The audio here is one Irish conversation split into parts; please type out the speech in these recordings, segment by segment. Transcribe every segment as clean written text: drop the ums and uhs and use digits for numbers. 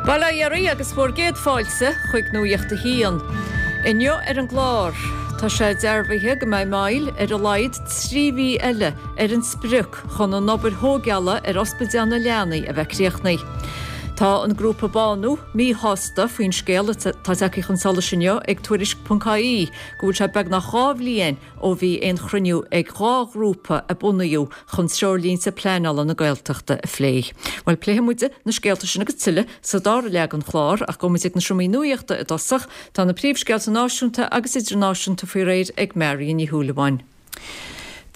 Bail ó Dhia oraibh agus bhur gcéad fáilte chuig Nuacht a hAon. Inniu ar an gclár, tá sé dearbhaithe go mbeidh moill ar a laghad 3 mhí eile ar an sprioc chun an obair thóigeála ar Ospidéal na Leanaí a bheith críochnaithe. Tá an grúpa Bánú míshásta faoin scéal atá tagtha chun solais inniu ag Tuairisc.ie go bhfuil sé beagnach 2 bhliain ó bhí aon chruinniú ag 2 ghrúpa a bunaíodh chun treoirlínte pleanála na Gaeltachta a phlé. Bhuel, pléifidh muid na scéalta sin agus tuilleadh sa dara leath den chlár, ach gabhfaidh muid ag na seomraí nuachta i dtosach. Tá na príomhscéalta náisiúnta agus idirnáisiúnta faoi réir ag Marion Ní Shúilleabháin.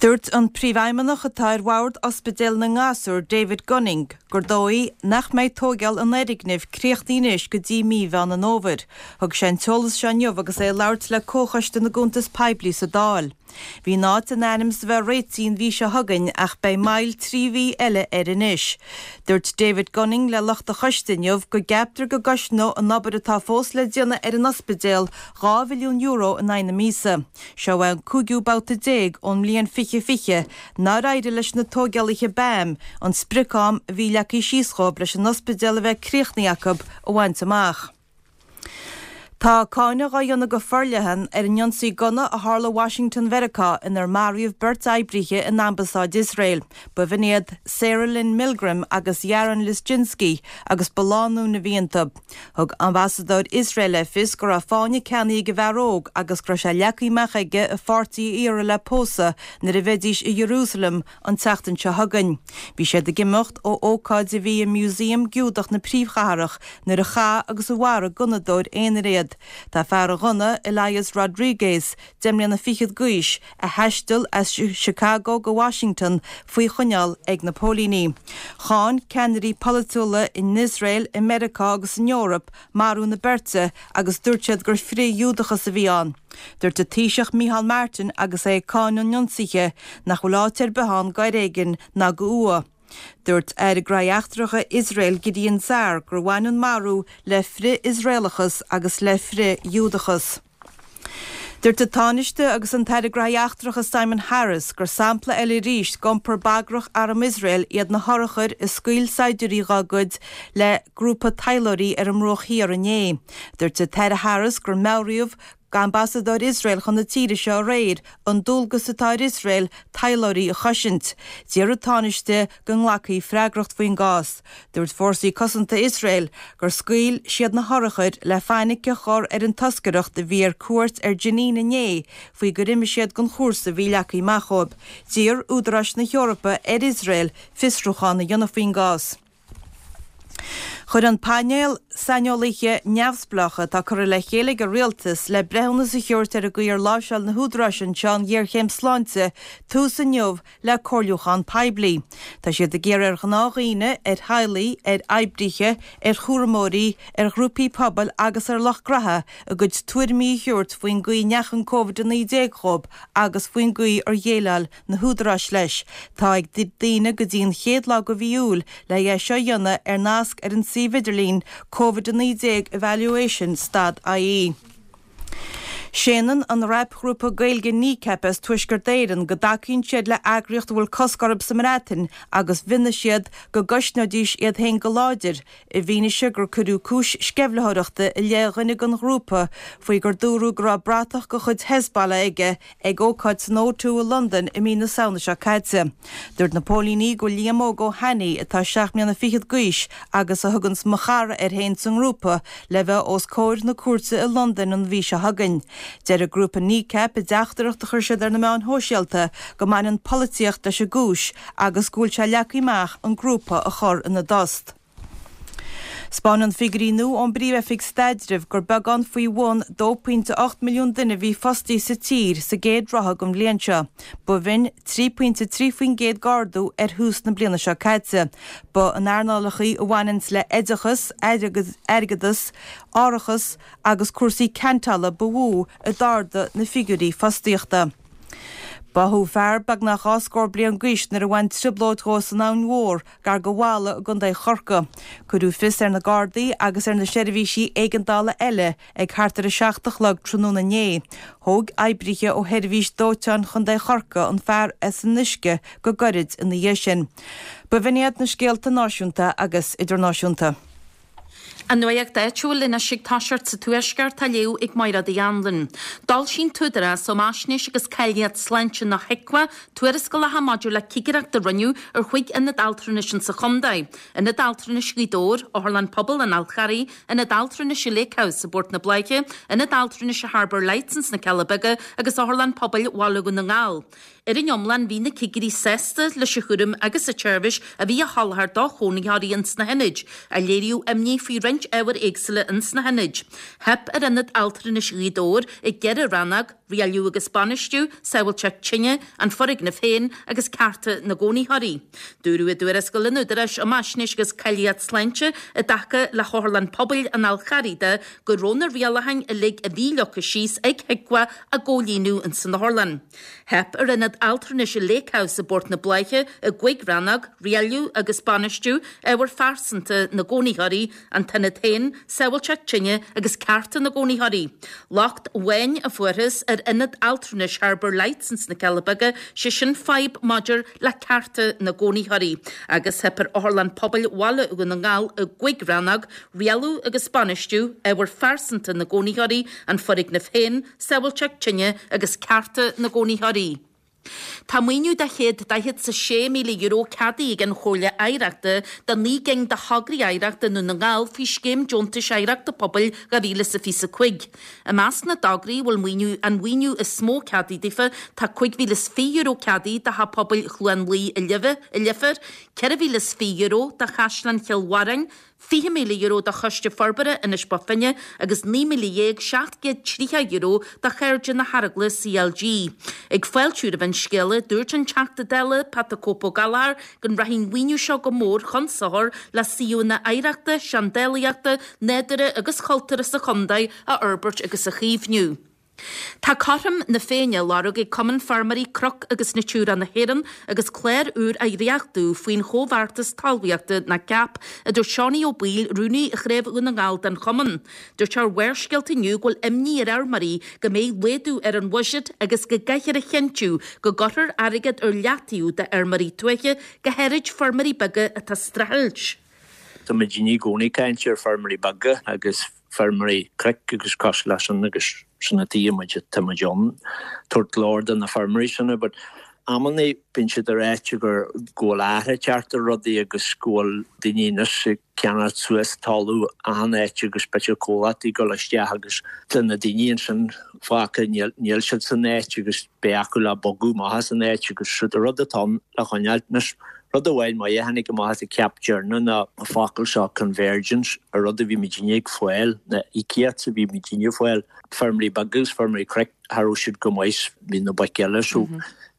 Dúirt an Príomhfheidhmeannach atá ar bhord Ospidéal na nGasúr, David Gunning, gur dóigh nach mbeidh tóigeáil an fhoirgnimh críochnaithe anois go dtí mí Mheán an Fhómhair. Thug sé an t-eolas seo inniu agus é ag labhairt le Comhchoiste na gCuntas Poiblí sa Dáil. Bhí an áit in ainm is a bheith réitithe an mhí seo chugainn ach beidh moill 3 mhí eile air anois. Dúirt David Gunning le lucht an choiste inniu go gceaptar go gcosnóidh an obair atá fós le déanamh ar an ospidéal €2 mhilliún in aghaidh na míosa. Seo é an cúigiú babhta ón mbliain 2020 nár éirigh leis na tóigeálaithe BAM an sprioc-am a bhí leagtha síos dhóibh leis an ospidéal a bheith críochnaithe acu a bhaint amach. Tá cáineadh á dhéanamh go forleathan ar an ionsaí gunna a tharla i Washington Mheiriceá inar maraíodh beirt oibrithe in ambasáid Iosrael. B'in iad Sarah Lynn Milgrim agus Yaron Lischinsky agus ba lánúin a bhí iontu. Thug ambasadóir Iosrael le fios go raibh fáinne ceannaithe ag an bhfear óg agus go raibh sé leagtha amach aige a pháirtí a iarraidh le pósadh nuair a bheidís i Ierúsalem an tseachtain seo chugainn. Bhí siad ag imeacht ó ócáid a bhí i Museum Giúdach na príomhchathrach nuair a chaith agus a mharaigh gunnadóir aonair iad. Tá fear an ghunna, Elias Rodriguez, deich mbliana fichead d'aois, a thaistil as Chicago go Washington, faoi choinneáil ag na póilíní. Cháin ceannairí polaitiúla in Iosrael, i Meiriceá agus san Eoraip marú na beirte agus dúirt siad gur frith-Ghiúdachas a bhí ann. Dúirt an Taoiseach Micheál Martin agus é ag cáineadh an ionsaithe nach bhfuil áit ar bith ann d'fhoréigean ná do fhuath. Dúirt Aire Gnóthaí Eachtracha Iosrael Gideon Saar gur bhain an marú le frith-Iosraelachas agus le frith-Ghiúdachas. Dúirt an Tánaiste agus an tAire Gnóthaí Eachtracha Simon Harris gur sampla eile arís d'iompar bagrach arm Iosrael iad na hurchair a scaoil saighdiúirí dá gcuid le grúpa taidhleoirí ar an mBruach Thiar inné. Dúirt an tAire Harris gur meabhraíodh d'ambasadóir Iosrael chun na tíre seo aréir an dualgas atá ar Iosrael taidhleoirí a chosaint. D'iarr an Tánaiste go nglacfaí freagracht faoin gcás. Dúirt Fórsaí Cosanta Iosrael gur scaoil siad na hurchair le fainic a chur ar an toscaireacht a bhí ar cuairt ar Jenin inné faoi gur imigh siad den chúrsa a bhí leagtha amach dhóibh. D'iarr údaráis na hEorpa ar Iosrael fiosrúchán a dhéanamh faoin gcás. Chuir an painéal saineolaithe neamhspleácha atá curtha le chéile ag an Rialtas le breithiúnas a thabhairt ar an gcaoi ar láimhseáil na húdaráis anseo an ghéarchéim sláinte tús inniu le comhairliúchán poiblí. Tá siad ag iarraidh ar ghnáthdhaoine, ar theaghlaigh, ar oibrithe, ar chúramóirí, ar ghrúpaí pobail agus ar lucht graithe a gcuid tuairimí a thabhairt faoin gcaoi a ndeachaigh an Covid-19 dhóibh agus faoin gcaoi ar dhéileáil na húdaráis leis. Tá ag daoine go dtí an chéad lá de mhí Iúil le é seo a dhéanamh ar nasc ar an suíomh idirlín Covid 19 Evaluation stad ie. Séanann an rapghrúpa Gaeilge Kneecap as Tuaisceart Éireann go dtacaíonn siad le eagraíocht a bhfuil cosc orthu sa mBreatain agus mhionnaigh siad go gcosnóidís iad féin go láidir i bhfianaise gur cuireadh cúis sceimhlitheoireachta i leith dhuine den ghrúpa faoi gur dúradh go raibh bratach de chuid Hezbollah aige ag ócáid san O2 i Londain i mí na Samhna seo caite. Dúirt na póilíní go bhfuil Liam Óg Ó hAnnaidh, atá seacht mbliana fichead d'aois agus a thuganns 'Mo Chara' air féin sa ngrúpa, le bheith os comhair na cúirte i Londain an mhí seo chugainn. Deir an grúpa Kneecap i dteachtaireacht a chuir siad ar na meáin shóisialta go mbaineann polaitíocht leis an gcúis agus go bhfuil sé leagtha amach an grúpa a chur ina dtost. 'Spáineann figiúirí nua ón bPríomh-Oifig Staidrimh gur beagán faoi bhun 2.8 milliún duine a bhí fostaithe sa tír sa gcéad ráithe den bhliain seo. B'in 3.3% d'ardú ar thús na bliana seo caite. Ba in earnálacha a bhaineanns le oideachas, airgeadas, árachas agus cúrsaí ceantála ba mhó a d'ardaigh na figiúirí fostaíochta. Báthadh fear beagnach dhá scór bliain d'aois nuair a bhain trioblóid dhó san Abhainn Mhór gar do Mhala i gContae Chorcaí. Cuireadh fios ar na Gardaí agus ar na seirbhísí éigeandála eile ag thart ar a 7 a chlog tráthnóna inné. Thóg oibrithe ó Sheirbhís Dóiteáin Chontae Chorcaí an fear as an uisce go gairid ina dhiaidh sin. B'in iad na scéalta náisiúnta agus idirnáisiúnta. An nuacht áitiúil anois ag toiseacht sa Tuaisceart á léamh ag Mairéad Uí Anluain. D'fhoilsigh an tÚdarás um Fhaisnéis agus Cáilíocht Sláinte nó HIQA tuarascálacha maidir le cigireacht a rinneadh ar chúig ionad altranais insa chontae, Ionad Altranais Ghaoth Dobhair, Otharlann Pobail an Fháil Charraigh, Ionad Altranais Lake House i bPort na Bláiche, Ionad Altranais Harbour Lights ins na Cealla Beaga agus Otharlann Pobail Bhaile Dhún na nGall. Ar an iomlán, bhí na cigirí sásta leis an chúram agus an tseirbhís a bhí á sholáthar do chónaitheoirí ins na hionaid, ach léiríodh imní faoi roinnt ábhair éagsúla ins na hionaid. Theip ar Ionad Altranais Ghaoth Dobhair i gceithre rannóg, Rialú agus Bainistiú, Sábháilteacht Tine, an Foirgneamh féin agus Cearta na gCónaitheoirí. Dúradh i dtuarascáil an Údaráis um Fhaisnéis agus Cáilíocht Sláinte i dtaca le hOtharlann Pobail an Fháil Charraigh de go raibh na rialacháin uilig a bhí leagtha síos ag HIQA á gcomhlíonadh ins an otharlann. Theip ar Ionad Altranais Lake House i bPort na Bláiche i gcúig rannóg, Rialú agus Bainistiú, Ábhair Phearsanta na gCónaitheoirí, an t-ionad féin, Sábháilteacht Tine agus Cearta na gCónaitheoirí. Locht amháin a fuarthas ar Ionad Altranais Harbour Lights ins na Cealla Beaga, sé sin fadhb maidir le cearta na gcónaitheoirí. Agus theip ar Otharlann Pobail Bhaile Dhún na nGall i gcúig rannóg, Rialú agus Bainistiú, Ábhair Phearsanta na gCónaitheoirí, an foirgneamh féin, Sábháilteacht Tine agus Cearta na gCónaitheoirí. Tá maoiniú de €146,000 ceadaithe ag an Chomhairle Oidhreachta do 9 gcinn de thograí oidhreachta i nDún na nGall faoi Scéim Deontais Oidhreachta Pobail 2025. I measc na dtograí a bhfuil maoiniú an mhaoiniú is mó ceadaithe daofa tá €5,020 ceadaithe do Theach Pobail Chluain Laoi i Leifear, €4,020 do Chaisleán Chill Bharráin, €20,000 do Choiste Forbartha Inis Bó Finne agus €19,730 do Chairde na hEaragla CLG. Ag fáiltiú roimh an scéala, dúirt an Teachta Dála, Pat 'The Cope' Ó Gallchóir, go rachaidh an mhaoiniú seo go mór chun sochair le suíomhanna oidhreachta, seandálaíochta, nádúrtha agus chultúrtha sa chontae a fhorbairt agus a chaomhnú. Tá cothrom na Féinne á lorg ag Cumann Feirmeoirí Cnoc agus Natura na hÉireann agus clár úr á dhréachtú faoin Chomhbheartas Talmhaíochta nó cap, a dúirt Seánie Ó Baoill, Rúnaí Chraobh Dhún na nGall den chumann. Dúirt sé ar Bharrscéalta inniu go bhfuil imní ar fheirmeoirí go mbeidh laghdú ar an bhuiséad agus go gcaithfear a chinntiú go gcuirfear airgead ar leataobh d'fheirmeoirí tuaithe, go háirid feirmeoirí beaga atá ag streachailt. Tá muidinne i gcónaí ag caint ar feirmeoirí beaga agus feirmeoirí cnoic agus cosúil leis sin agus sin an tuige muid tá muid ann tabhairt glór do na feirmeoirí sin but amannaí bíonn siad ag ráit gur go bhfuil athrú ag teacht ar rudaí agus go bhfuil daoine anois ag ceannacht suas talamh achan áit agus b'fhéidir comhlachtaí ag dul isteach agus tá na daoine ansin fágtha níl níl siad san áit agus beidh acu le bogadh amach as an áit agus siúd an rud atá ann le choinneáilt anois Rud amháin maith a tháinig amach as an CAP deireanach ná an focal seo convergence, an rud a bhí muidinne ag fáil, na íocaíocht a bhí muidinne ag fáil, feirmeoirí beaga agus feirmeoirí cnoic, cha raibh siad chomh maith is bhí na boic eile so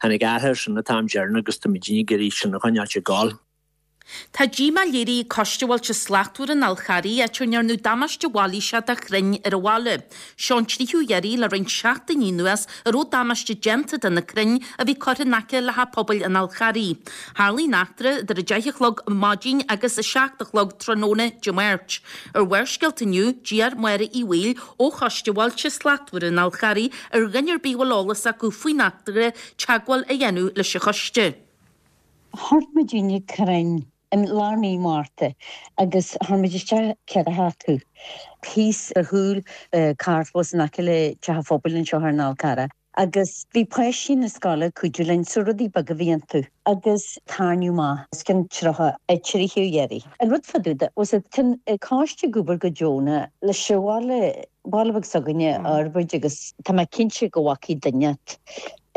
tháinig athrú air sin an t-am deireanach agus tá muidinne ag iarraidh sin a choinneáilt ag gabháil. Tá díomá léirithe ag Coiste Bhailte Slachtmhara an Fháil Charraigh, áit ar ndearnadh damáiste mhailíseach do chrainn ar an bhaile. Seo an tríú iarraidh le roinnt seachtainí anuas a raibh damáiste déanta de na crainn a bhí curtha in aice le theach pobail an Fháil Charraigh. Tharlaigh an eachtra idir 10 a chlog maidin agus 7 a chlog tráthnóna Dé Máirt. Ar Bharrscéalta inniu, d'iarr Máire Uí Bhaoill ó Choiste Bhailte Slachtmhara an Fháil Charraigh ar dhuine ar bith a bhfuil eolas acu faoin eachtra teagmháil a dhéanamh leis an choiste. Chuir muidinne crainn i lár mí Márta agus chuir muid isteach 4 acu thíos ar chúl carrchlós in aice le Teach an Phobail anseo ar an Fhál Carrach agus bhí páistí na scoile ag cuidiú linn so rudaí beaga a bhí iontu agus tairneadh amach os cionn 33 iarraidh. An rud fá dtaobh de was it tá an coiste ag obair go deonach leis an bhaile baile beag s'againne a fhorbairt agus tá mé cinnte go bhfacaidh duine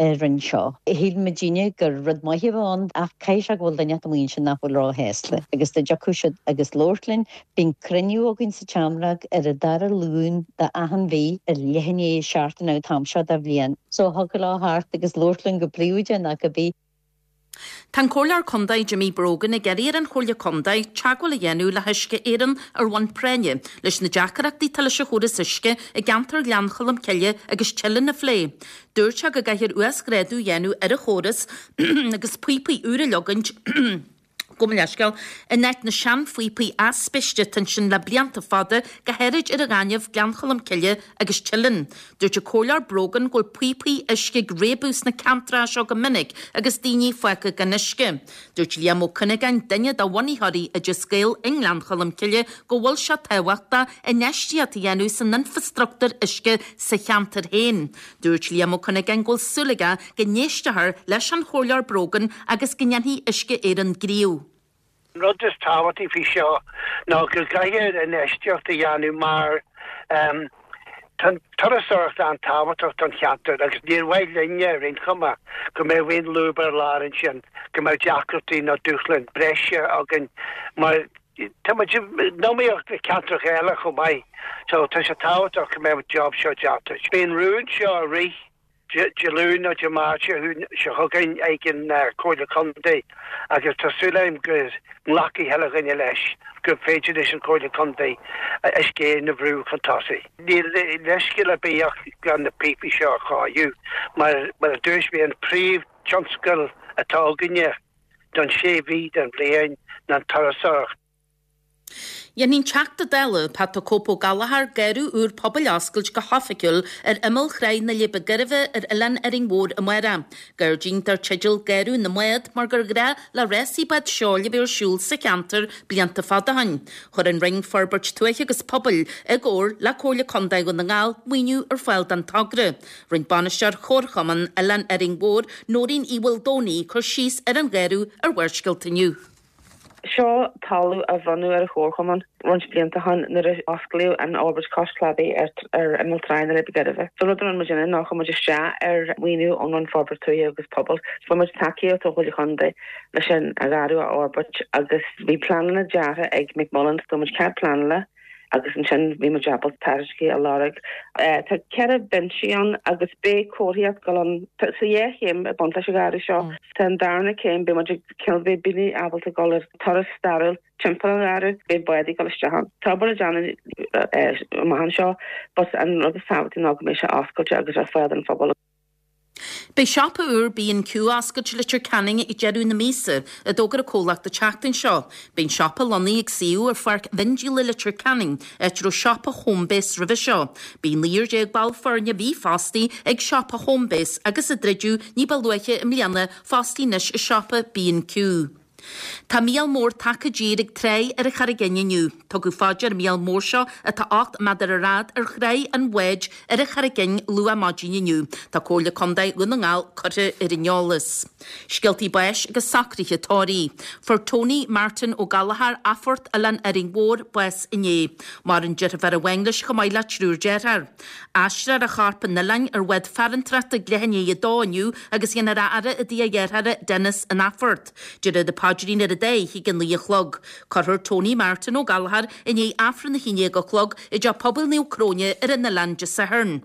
a rinne seo. Shíl muidinne gur rud maith a bheadh ann ach caithfidh sé go bhfuil duine amuigh ansin nach bhfuil róshásta agus dá dtiocfadh siad agus labhairt linn, bíonn cruinniú againn sa tSeamróg ar an dara Luan de achan mhí ar leath i ndiaidh a seacht an t-am seo de bhliain. So thiocfadh leo theacht agus labhairt linn go príobháideach nó cibé. Tá an Comhairleoir Contae Jimmy Brogan ag iarraidh ar an Chomhairle Contae teagmháil a dhéanamh le hUisce Éireann ar bhonn práinne leis na deacaireachtaí atá leis an chóras uisce i gceantar Ghleann Cholm Cille agus Teileann a phlé. Dúirt sé go gcaithfear uasghrádú a dhéanamh ar an chóras agus píopaí úra a leogaint. Gabh mo leithscéal, in áit na seanphíopaí aispeiste atá ansin le blianta fada, go háirid ar an Ghaineamh, Gleann Cholm Cille agus Teileann. Dúirt an Comhairleoir Brogan go bhfuil píopaí uisce ag réabadh sna ceantracha seo go minic agus daoine fágtha gan uisce. Dúirt Liam Ó Cuinneagáin, duine de bhunaitheoirí Oideas Gael i nGleann Cholm Cille, go bhfuil sé tábhachtach infheistíocht a dhéanamh san infreastruchtúr uisce sa cheantar féin. Dúirt Liam Ó Cuinneagáin go bhfuil súil aige go n-éistfear leis an Chomhairleoir Brogan agus go ndéanfaidh Uisce Éireann gníomh. An rud is tábhachtaí faoi seo ná go gcaithfear infheistíocht a dhéanamh mar tá an turasóireacht an-tábhachtach don cheantar agus níor mhaith linne ar aon chuma go mbeadh aon lúb ar lár ansin, go mbeadh deacrachtaí nó dúshláin breise againn mar tá muid in iomaíocht le ceantracha eile chomh maith so tá sé tábhachtach go mbeadh an job seo déanta. Beidh an rún seo á rith Dé Luain nó Dé Máirt seo chugainn ag an Chomhairle Contae agus tá súil agam go nglacfaidh chuile dhuine leis gur féidir leis an Chomhairle Contae Uisce Éireann a bhrú chun tosaigh. Níl leithscéal ar bith ach gan na píopaí seo a chóiriú mar mar a dúirt mé an príomh tionscal atá againne don sé mhí den bhliain ná an turasóireacht. Dhéanfaidh an Teachta Dála, Pat 'The Cope' Ó Gallchóir, garradh úr pobail a oscailt go hoifigiúil ar imeall Thráigh na Leidhbe Gairbhe ar Oileán Árainn Mhór amárach. Gairdín dar teideal Garradh na mBád mar gur ghnách le rásaí bád seoil a bheith ar siúl sa cheantar blianta fada ó shin. Chuir an Roinn Forbairt Tuaithe agus Pobail, i gcomhar le Comhairle Contae Dhún na nGall, maoiniú ar fáil don togra. Rinne Bainisteoir Chomharchumann Oileán Árainn Mhór, Nóirín Uí Mhaoldomhnaigh, cur síos ar an gharradh ar Bharrscéalta inniu. Seo talamh a bronnadh ar an Chomharchumann roinnt blianta ó shin nuair a osclaíodh an fhorbairt cois cladaigh ar imeall Tráigh na Leidhbe Gairbhe. So an rud a rinne muid ná chuir muid isteach ar mhaoiniú ón Roinn Forbairt Tuaithe agus Pobail. Fuair muid tacaíocht ó Chomhairle Chontae leis an gharradh a fhorbairt agus bhí pleananna deartha ag McMullen, fuair muid cead pleanála agus ansin bhí muid ábalta tairiscintí a lorg. Tá 4 binsí ann agus beidh comharthaíocht ag dul ann. Tá sa dhá chéim ag baint leis an gharradh seo. Tá an darna céim, beidh muid ag cineál beidh daoine ábalta dul ar turas stairiúil timpeall an gharradh, beidh bádaí ag dul isteach ann. Tá obair le déanamh amach anseo but an rud is tábhachtaí ná go mbeidh sé oscailte agus ar fáil don phobal. Beidh siopa úr B&Q á oscailt i Leitir Ceanainn ag deireadh na míosa, a d'fhógair an comhlacht an tseachtain seo. Beidh an siopa lonnaithe ag suíomh ar Pháirc Mhiondíola Leitir Ceanainn, áit a raibh siopa Homebase roimhe seo. Bhí naonúr ball foirne a bhí fostaithe ag siopa Homebase agus a druideadh ní ba luaithe i mbliana fostaithe anois i siopa B&Q. Tá míol mór tagtha i dtír ag tráigh ar an Charraig Fhinn inniu. Tugadh fá dear an míol mór seo, atá 8 méadar ar fhad, ar thráigh an bháid ar an Charraig Fhinn luath maidin inniu. Tá Comhairle Contae Dhún na nGall curtha ar an eolas. Scéaltaí báis agus socruithe tórraimh. Fuair Tony Martin Ó Gallchóir, Athphort, Oileán Árainn Mhór, bás inné. Maireann deirfiúr amháin leis chomh maith le triúr dearthár. Aistreofar a chorp 'on oileán ar bhád farantrachta ag leath i ndiaidh a dó inniu agus dhéanfar a fhaire i dtigh a dhearthára Denis in Athphort. Déarfar an paidrín ar an dá fhichid ag a naoi a chlog. Cuirfear Tony Martin Ó Gallchóir i ndiaidh Aifreann 11 a chlog i dTeach Pobail Naomh Cróine ar an oileán Dé Sathairn.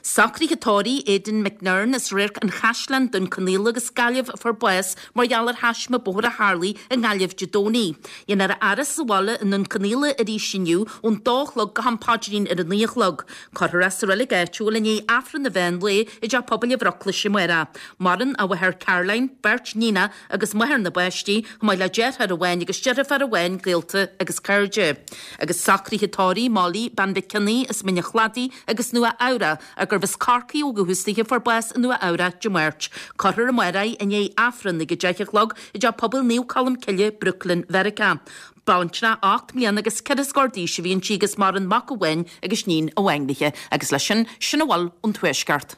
Socruithe tórraimh Aidan McNern as Radharc an Chaisleáin, Dún Conaola agus Gaillimh a fuair bás mar gheall ar thaisme bóthair a tharlaigh i nGaillimh Dé Domhnaigh. Dhéanfar a fhaire sa bhaile i nDún Conaola arís inniu ón dó a chlog go ham paidrín ar a naoi a chlog. Cuirfear é sa reilig áitiúil i ndiaidh Aifreann an mheán lae i dTeach Pobail an Bhruclais amárach. Maireann a mháthair Caroline, beirt níonacha agus máthair na bpáistí, chomh maith le deartháir amháin agus deirfiúr amháin, gaolta agus cairde. Agus socruithe tórraimh Molly, Bean Mhic Cionnaith as Mín an Chladaigh agus Nua Eabhrac, gurbh as Corcaigh ó dhúchas di a fuair bás i Nua Eabhrac Dé Máirt. Cuirfear amárach í i ndiaidh Aifreann ag 10 a chlog i dTeach Pobail Naomh Colm Cille, Brooklyn, Mheiriceá. Baintreach 8 mbliana agus ceithre scór d'aois a bhí inti agus maireann mac amháin agus níon amháin léi. Agus leis sin, sin a bhfuil ón Tuaisceart.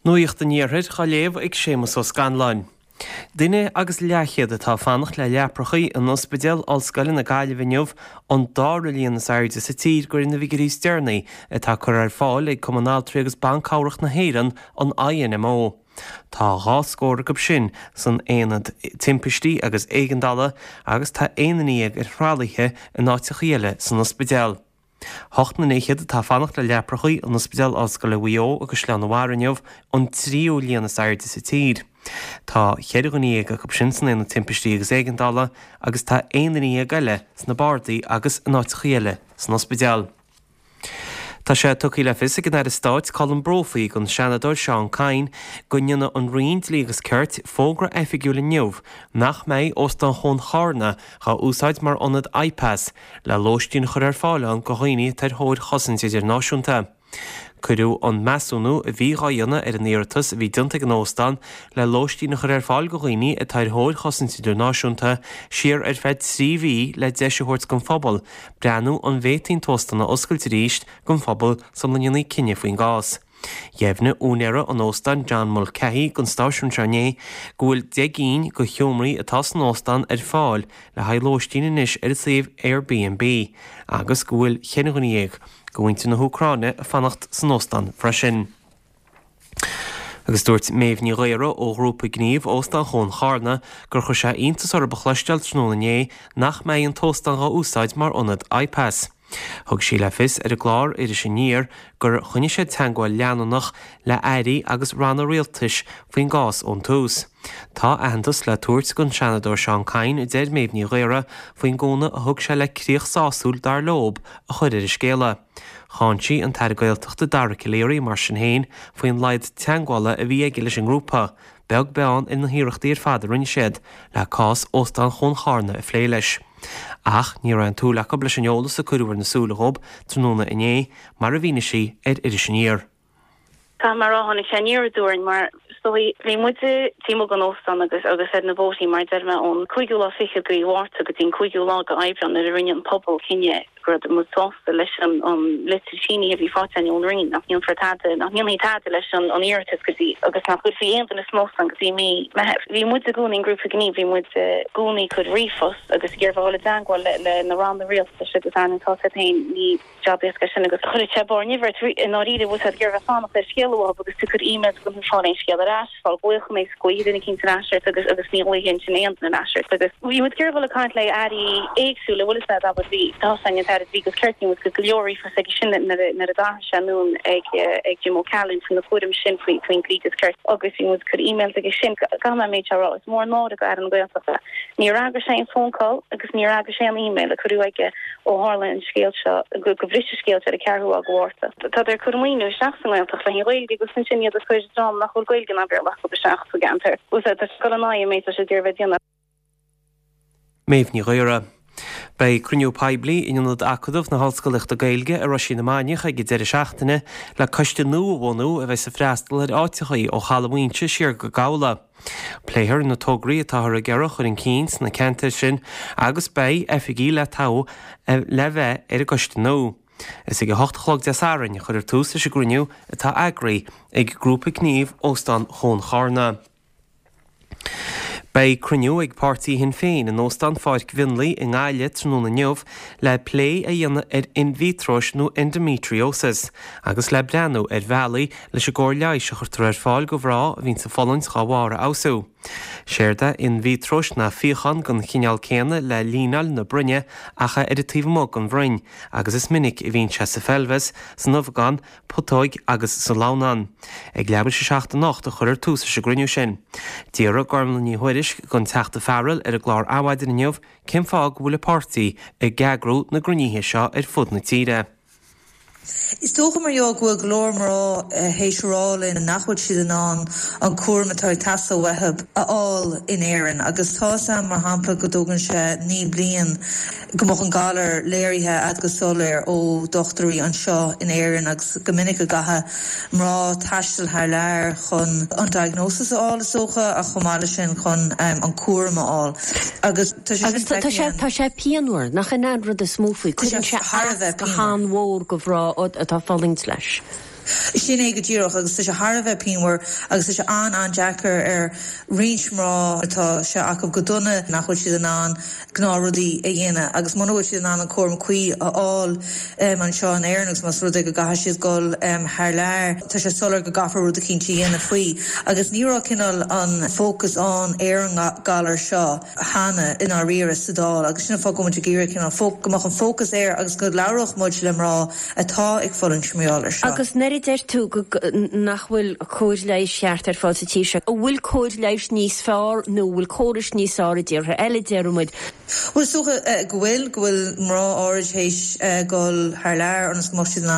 Nuacht an Iarthair á léamh ag Séamus Ó Scanláin. Duine agus leathchéad atá ag fanacht le leaprachaí in Ospidéal Ollscoile na Gaillimhe inniu, an dara líon is airde sa tír de réir na bhfigiúirí is deireanaí atá curtha ar fáil ag Cumann Altraí agus Ban Cabhrach na hÉireann, an INMO. Tá dhá scór acu sin san aonad timpistí agus éigeandála agus tá aon duine dhéag ar thralaithe in áiteachaí eile san ospidéal. Ocht nduine fhichead atá ag fanacht le leaprachaí in Ospidéal Ollscoile Mhaigh Eo i gCaisleán an Bharraigh inniu, an tríú líon is airde sa tír. Tá cheithre dhuine dhéag acu sin san Aonad Timpistí agus Éigeandála agus tá aon duine dhéag eile sna bardaí agus in áiteachaí eile san ospidéal. Tá sé tugtha le fios ag an Aire Stáit Colm Brophy don Seanadóir Seán Kyne go ndéanfaidh an Roinn Dlí agus Cirt fógra oifigiúil inniu nach mbeidh Óstán Chuan Charna dhá úsáid mar ionad IPAS le lóistín a chur ar fáil ann go dhaoine atá ar thóir chosaint idirnáisiúnta. Cuireadh an measúnú a bhí dhá dhéanamh ar an iarratas a bhí déanta ag an óstán le lóistín a chur ar fáil go dhaoine atá ar thóir chosaint idirnáisiúnta siar ar feadh 3 mhí le deis a thabhairt don phobal breathnú an bhféadfaí an t-óstán a oscailt arís don phobal sula ndéanfaí cinneadh faoin gcás. Dheimhnigh úinéara an óstáin John Mulcahy don stáisiún seo inné go bhfuil 10 gcinn de sheomraí atá san óstán ar fáil le haghaidh lóistín anois ar an suíomh Airbnb agus go bhfuil 14 dhuine de mhuintir na hÚcráine ag fanacht san óstán freisin. Agus dúirt Méabh Ní Ghaora ó ghrúpa gnímh Óstán Chuan Charna gur chuir sé iontas orthu a chloisteáil tráthnóna inné nach mbeidh an t-óstán dhá úsáid mar ionad IPAS. Thug sí le fios ar an gclár Iris Aniar gur choinnigh siad teagmháil leanúnach le airí agus ranna rialtais faoin gcás ón tús. Tá aitheantas le tabhairt don Seanadóir Seán Kyne, a deir Méabh Ní Ghaora, faoin gcúnamh a thug sé le críoch sásúil, dar leob, a chur ar an scéala. Cháin sí an tAire Gaeltachta Dara Calleary, mar sin féin, faoin laghad teagmhála a bhí aige leis an ngrúpa, beag beann ar na hiarrachtaí ar fad a rinne siad le cás Óstán Chuan Charna a phlé leis. Ach ní raibh aon tsúil acu leis an eolas a cuireadh ar na súile dhób tráthnóna inné, mar a mhínigh sí ar Iris Aniar. Caithfidh mé a rá, tháinig sé aniar aduaidh orainn mar is dóigh, bhí muide taobh amuigh den óstán agus agus ar na bóithrí mar a deir mé ón cúigiú lá fichead de mhí Mhárta go dtí an cúigiú lá de Aibreán nuair a rinne an pobal cinneadh go raibh muid sásta leis an litir sínithe a bhí faighte againn ón Roinn nach ndéanfar tada, nach ndéanfaí tada leis an iarratas go dtí agus nach gcuirfí aon duine san óstán go dtí mí Meitheamh. Bhí muid i gcónaí, an grúpa gnímh, bhí muid i gcónaí ag cur ríomhphost agus ag iarraidh a dhul i dteangmháil le na ranna rialtais agus ar ndóigh tá a fhios agat féin ní jab éasca é sin agus chuirfeadh sé barr nimhe ort i ndáiríre bhfuil tú ag iarraidh bheith fanacht ar scéala uathu agus tú ag cur emails agus ní fáil aon scéal ar ais. fáil glaochanna is glaofaidh duine eicínt ar ais ort agus agus ní ghlaofaidh ansin aon duine ar ais ort agus bhí muid ag iarraidh dhul ag caint le airí éagsúla bhfuil fhios a'd abair bhí tá a fhios againn an tAire Dlí agus Cirt bhí muid ag cur go leor ríomhphost aige sin nuair a nuair a d'athraigh sé anonn ag ag Jim O'Callaghan faoi na cúraimí sin faoi faoin dlí agus cirt agus bhí muid ag cur emails aige sin caithfidh mé an méid seo a rá is mór an náire do Aire na Gaeltachta níor fhreagair sé aon phone call agus níor fhreagair sé aon email a cuireadh aige Ó tharla an scéal seo, go bhris an scéal seo ar an ceathrú lá de Mhárta. Tádar ag cur maoiniú isteach sa nGaeltacht le haghaidh an Ghaeilge agus ansin iad ag cur dream nach bhfuil Gaeilge ná Béarla acu isteach sa gceantar. Tá sé ag dul in aghaidh an méid atá siad ag iarraidh bheith ag déanamh. Méabh Ní Ghaora. Beidh cruinniú poiblí in Ionad Acadamh na hOllscolaíochta Gaeilge i Roisín na Mainiach ag an deireadh seachtaine le coiste nua a bhunú a bheas ag freastal ar áiteachaí ó Chaladh Mhaínse siar go Gabhla. Pléifear na tograí atáthar ag iarraidh a chur chun cinn sna ceantair sin agus beidh oifigigh le toghadh le bheith ar an gcoiste nua. Is ag a hocht a chlog Dé Sathairn a chuirfear tús leis an gcruinniú atá eagraithe ag Grúpa Gnímh Óstán Chuan Charna. Beidh cruinniú ag páirtí Shinn Féin in Óstán Pháirc Mhionlaigh i nGaillimh tráthnóna inniu le plé a dhéanamh ar inmhítreois nó endometriosis agus le breathnú ar bhealaí leis an gcóir leighis a chuirtear ar fáil do mhná a bhíonns ag fulaingt dhá bharr a fheabhsú. Séard é inmhítreois ná fíochán den chineál céanna le líneáil na broinne ach é ar an taobh amuigh den bhroinn agus is minic a bhíonn sé sa pheilbheas, san ubhagán, putóig agus sa lamhnán. Ag leathuair tar éis a 7 anocht a chuirfear tús leis an gcruinniú sin. D'fhiafraigh Gormlaith Ní Thuairisg den Teachta Farrell ar an gclár Adhmhaidin inniu cén fáth go bhfuil a páirtí ag eagrú na gcruinnithe seo ar fud na tíre. Is dócha mar gheall go bhfuil go leor mná théis a rá linn nach bhfuil siad in ann an cúram atá ag teastáil uathu a fháil in Éirinn agus tá 'fhios a'm mar shampla go dtógann sé 9 bliain go mbeadh an galar léirithe a'd go soiléir ó dochtúirí anseo in Éirinn agus go minic go gcaithfidh mná taisteal thar lear chun an diagnosis a fháil is dócha ach chomh maith leis sin chun an cúram a fháil agus tá sé sin Agus tá sé, tá sé pianmhar, nach in é an rud is mó faoi, cuireann sé as go han-mhór do mhná atá ag fulaingt leis. Sin é go díreach agus tá sé thar a bheith pianmhar agus tá sé an-an-deacair ar roinnt mná atá sé acu go dona nach bhfuil siad in ann gnáthrudaí a dhéanamh agus muna bhfuil siad in ann an cúram cuí a fháil anseo in Éirinn agus más rud é go gcaithfidh siad dul thar lear, tá sé soiléir go gcaithfear rud eicínt a dhéanamh faoi agus ní raibh cineál an fócas ann ar an galar seo cheana i ndáiríre sa Dáil agus sin an fáth go bhfuil muid ag iarraidh cineál go mbeadh an fócas air agus go labhródh muid le mná atá ag fulaingt mar gheall air seo. Agus an oiread. a deir tú go nach bhfuil cóir leighis cheart ar fáil sa tír seo, an bhfuil cóir leighis níos fearr nó an bhfuil córais níos fearr i dtíortha eile, déarfaidh muid? Bhuel, is dócha go bhfuil, go bhfuil mná áirid théis dhul thar lear ionas go mbeadh siad in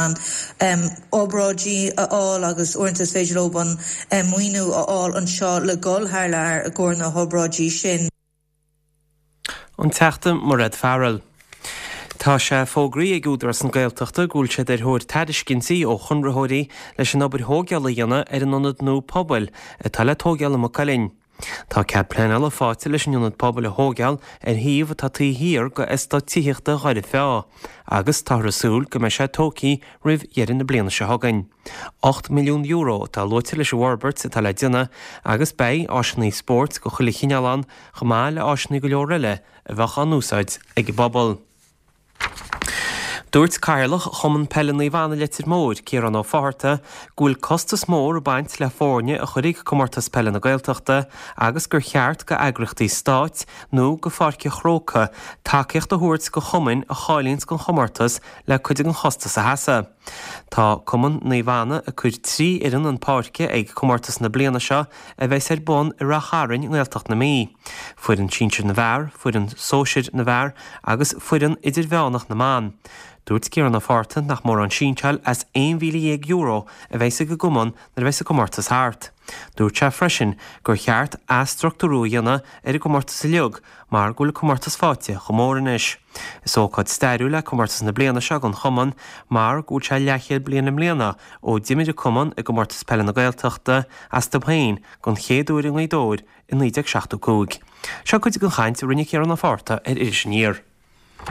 ann obráidí a fháil agus uaireanta is féidir leo an maoiniú a fháil anseo le dhul thar lear i gcomhair na hobráidí sin. An Teachta Mairéad Farrell. Tá sé fógraithe ag Údarás na Gaeltachta go bhfuil siad ar thóir tairiscintí ó chonraitheoirí leis an obair thóigeála a dhéanamh ar an ionad nua pobail atá le tóigeáil i Maigh Cuilinn. Tá cead pleanála faighte leis an ionad pobail a thóigeáil ar shuíomh atá taobh thiar go eastát tithíochta Dhoire Feá agus táthar ag súil go mbeidh sé tógtha roimh dheireadh na bliana seo chugainn. €8 milliún atá luaite leis an bhforbairt atá le déanamh agus beidh áiseanna spóirt go chuile chineál ann chomh maith le áiseanna go leor eile a bheadh á n-úsáid ag an bpobal. Dúirt Cathaoirleach Chumann Peile Naomh Anna Leitir Móir, Ciarán Ó Fátharta, go bhfuil costas mór ag baint le foirne a chur ag Comórtas Peile na Gaeltachta agus gur cheart go eagraíochtaí stáit nó go Pháirc an Chrócaigh tacaíocht a thabhairt go chumainn a cháilíonns don chomórtas le cuid den chostas a sheasamh. Tá Cumann Naomh Anna ag cur 3 fhoireann 'un páirce ag comórtas na bliana seo a bheas ar bun i Rath Chairn i nGaeltacht na Mí. Foireann sinsir na bhfear, foireann sóisir na bhfear agus foireann idirmheánach na mban. Dúirt Ciarán Ó Fátharta nach mórán sínseáil as €11,000 a bheas ag an gcumann nuair a bheas an comórtas thart. Dúirt sé freisin gur cheart athstruchtúrú a dhéanamh ar an gcomórtas uilig mar go bhfuil an comórtas faighte chomh mór anois. Is ócáid stairiúil é comórtas na bliana seo don chumann mar go bhfuil sé leathchéad bliain i mbliana ó d'imir an cumann i gComórtas Peile na Gaeltachta astu féin don chéad uair i nGaoth Dobhair i 1975. Seo cuid den chaint a rinne Ciarán Ó Fátharta ar Iris Aniar.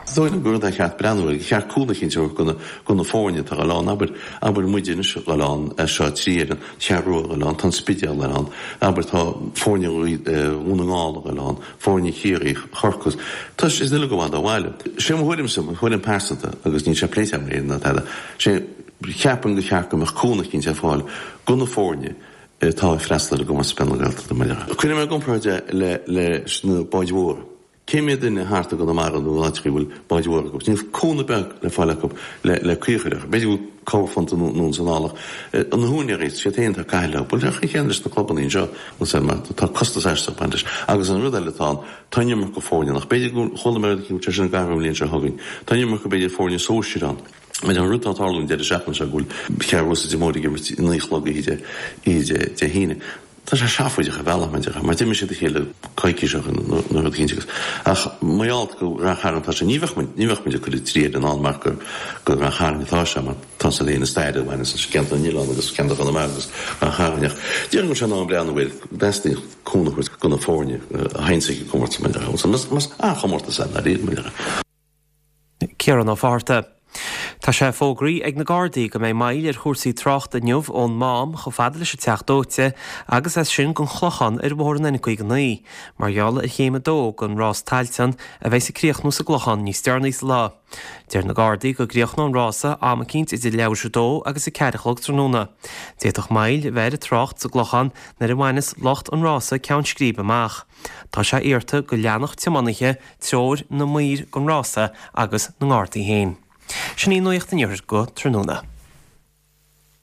Is dóigh liom gur rud é ar cheart breathnú air, gur cheart cúnamh eicínt a thabhairt do na foirne atá ag dul ann. Abair, abair muide anois ag dul ann, seo 3 fhoireann, Cheathrú Rua ag dul ann, tá an Spidéal ag dul ann, abair tá foirne Dhún na nGall ag dul ann, foirne Chiarraí, Chorcaí, tá siad uilig i bhfad ó bhaile. Sé mo thuairimse, mo thuairim pearsanta, agus níl sé pléite agam ná tada, sé, cheapfainn gur cheart go mbeadh cúnamh eicínt ar fáil do na foirne atá ag freastal ar an gComórtas Peile na Gaeltachta mar a Cuirfidh mé i gcomparáid é le leis na báid mhóra. Cé mhéad duine thart i gConamara nó in áiteacha a bhfuil báid mhóra acu? Níl cúnamh beag le fáil acu le le caoi a chur orthu. B'fhéidir go bhfuil corrphunt anonn is anall ach na húinéirí, siad féin atá ag caitheamh leo. Bhuel, an chéanna leis na clubanna anseo, mar tá costas aisteach ag baint leis. Agus an rud eile atá ann, tá an iomarca foirne ann. Ach b'fhéidir go chuala mé rud eicínt go bhfuil sé sin ag athrú an bhliain seo chugainn. Tá an iomarca b'fhéidir foirne sóisir ann. Mar an rud atá ag tarlú an deireadh seachtaine seo go bhfuil Ceathrú Rua is Leitir Móir ag imirt 9 a chlog oíche Dé Dé hAoine. Tá sé seafóideach ar bhealach mar déarfá, mar d'imir siad a chéile coicís ó shin nó rud eicínt agus ach mar gheall gur Rath Chairn atá sé ní bheadh muid ní bheadh muid ag cur 3 fhoireann ann mar gur go Rath Chairn atá sé mar tá sé féin i stair a bhaineann leis ceantar na nOileán agus ceantar Chonamara agus Rath Chairn ach déarfainn go bhfuil sé in am breathnú air go dteastaíonn cúnamh a thabhairt do na foirne a théann ag an gcomórtas mar déarfá más an-chomórtas é ndáiríre mar déarfá. Ciarán Ó Fátharta. Tá sé fógraithe ag na Gardaí go mbeidh moill ar chúrsaí tráchta inniu ón Mám chomh fada leis an Teach Dóite agus as sin don Chlochán ar bhóthar an N59 mar gheall ar chéim 2 den rás Tailteann a bheas ag críochnú sa gClochán níos deireanaí sa lá. Deir na Gardaí go gcríochnóidh an rása am eicínt idir leathuair tar éis a dó agus a 4 a chlog tráthnóna. D'fhéadfadh moill a bheith ar an trácht sa gClochán nuair a bhaineas lucht an rása ceann scríbe amach. Tá sé iarrta go leanfadh tiománaithe treoir na maor den rása agus na nGardaí féin. Sin í Nuacht an Iarthair go tráthnóna.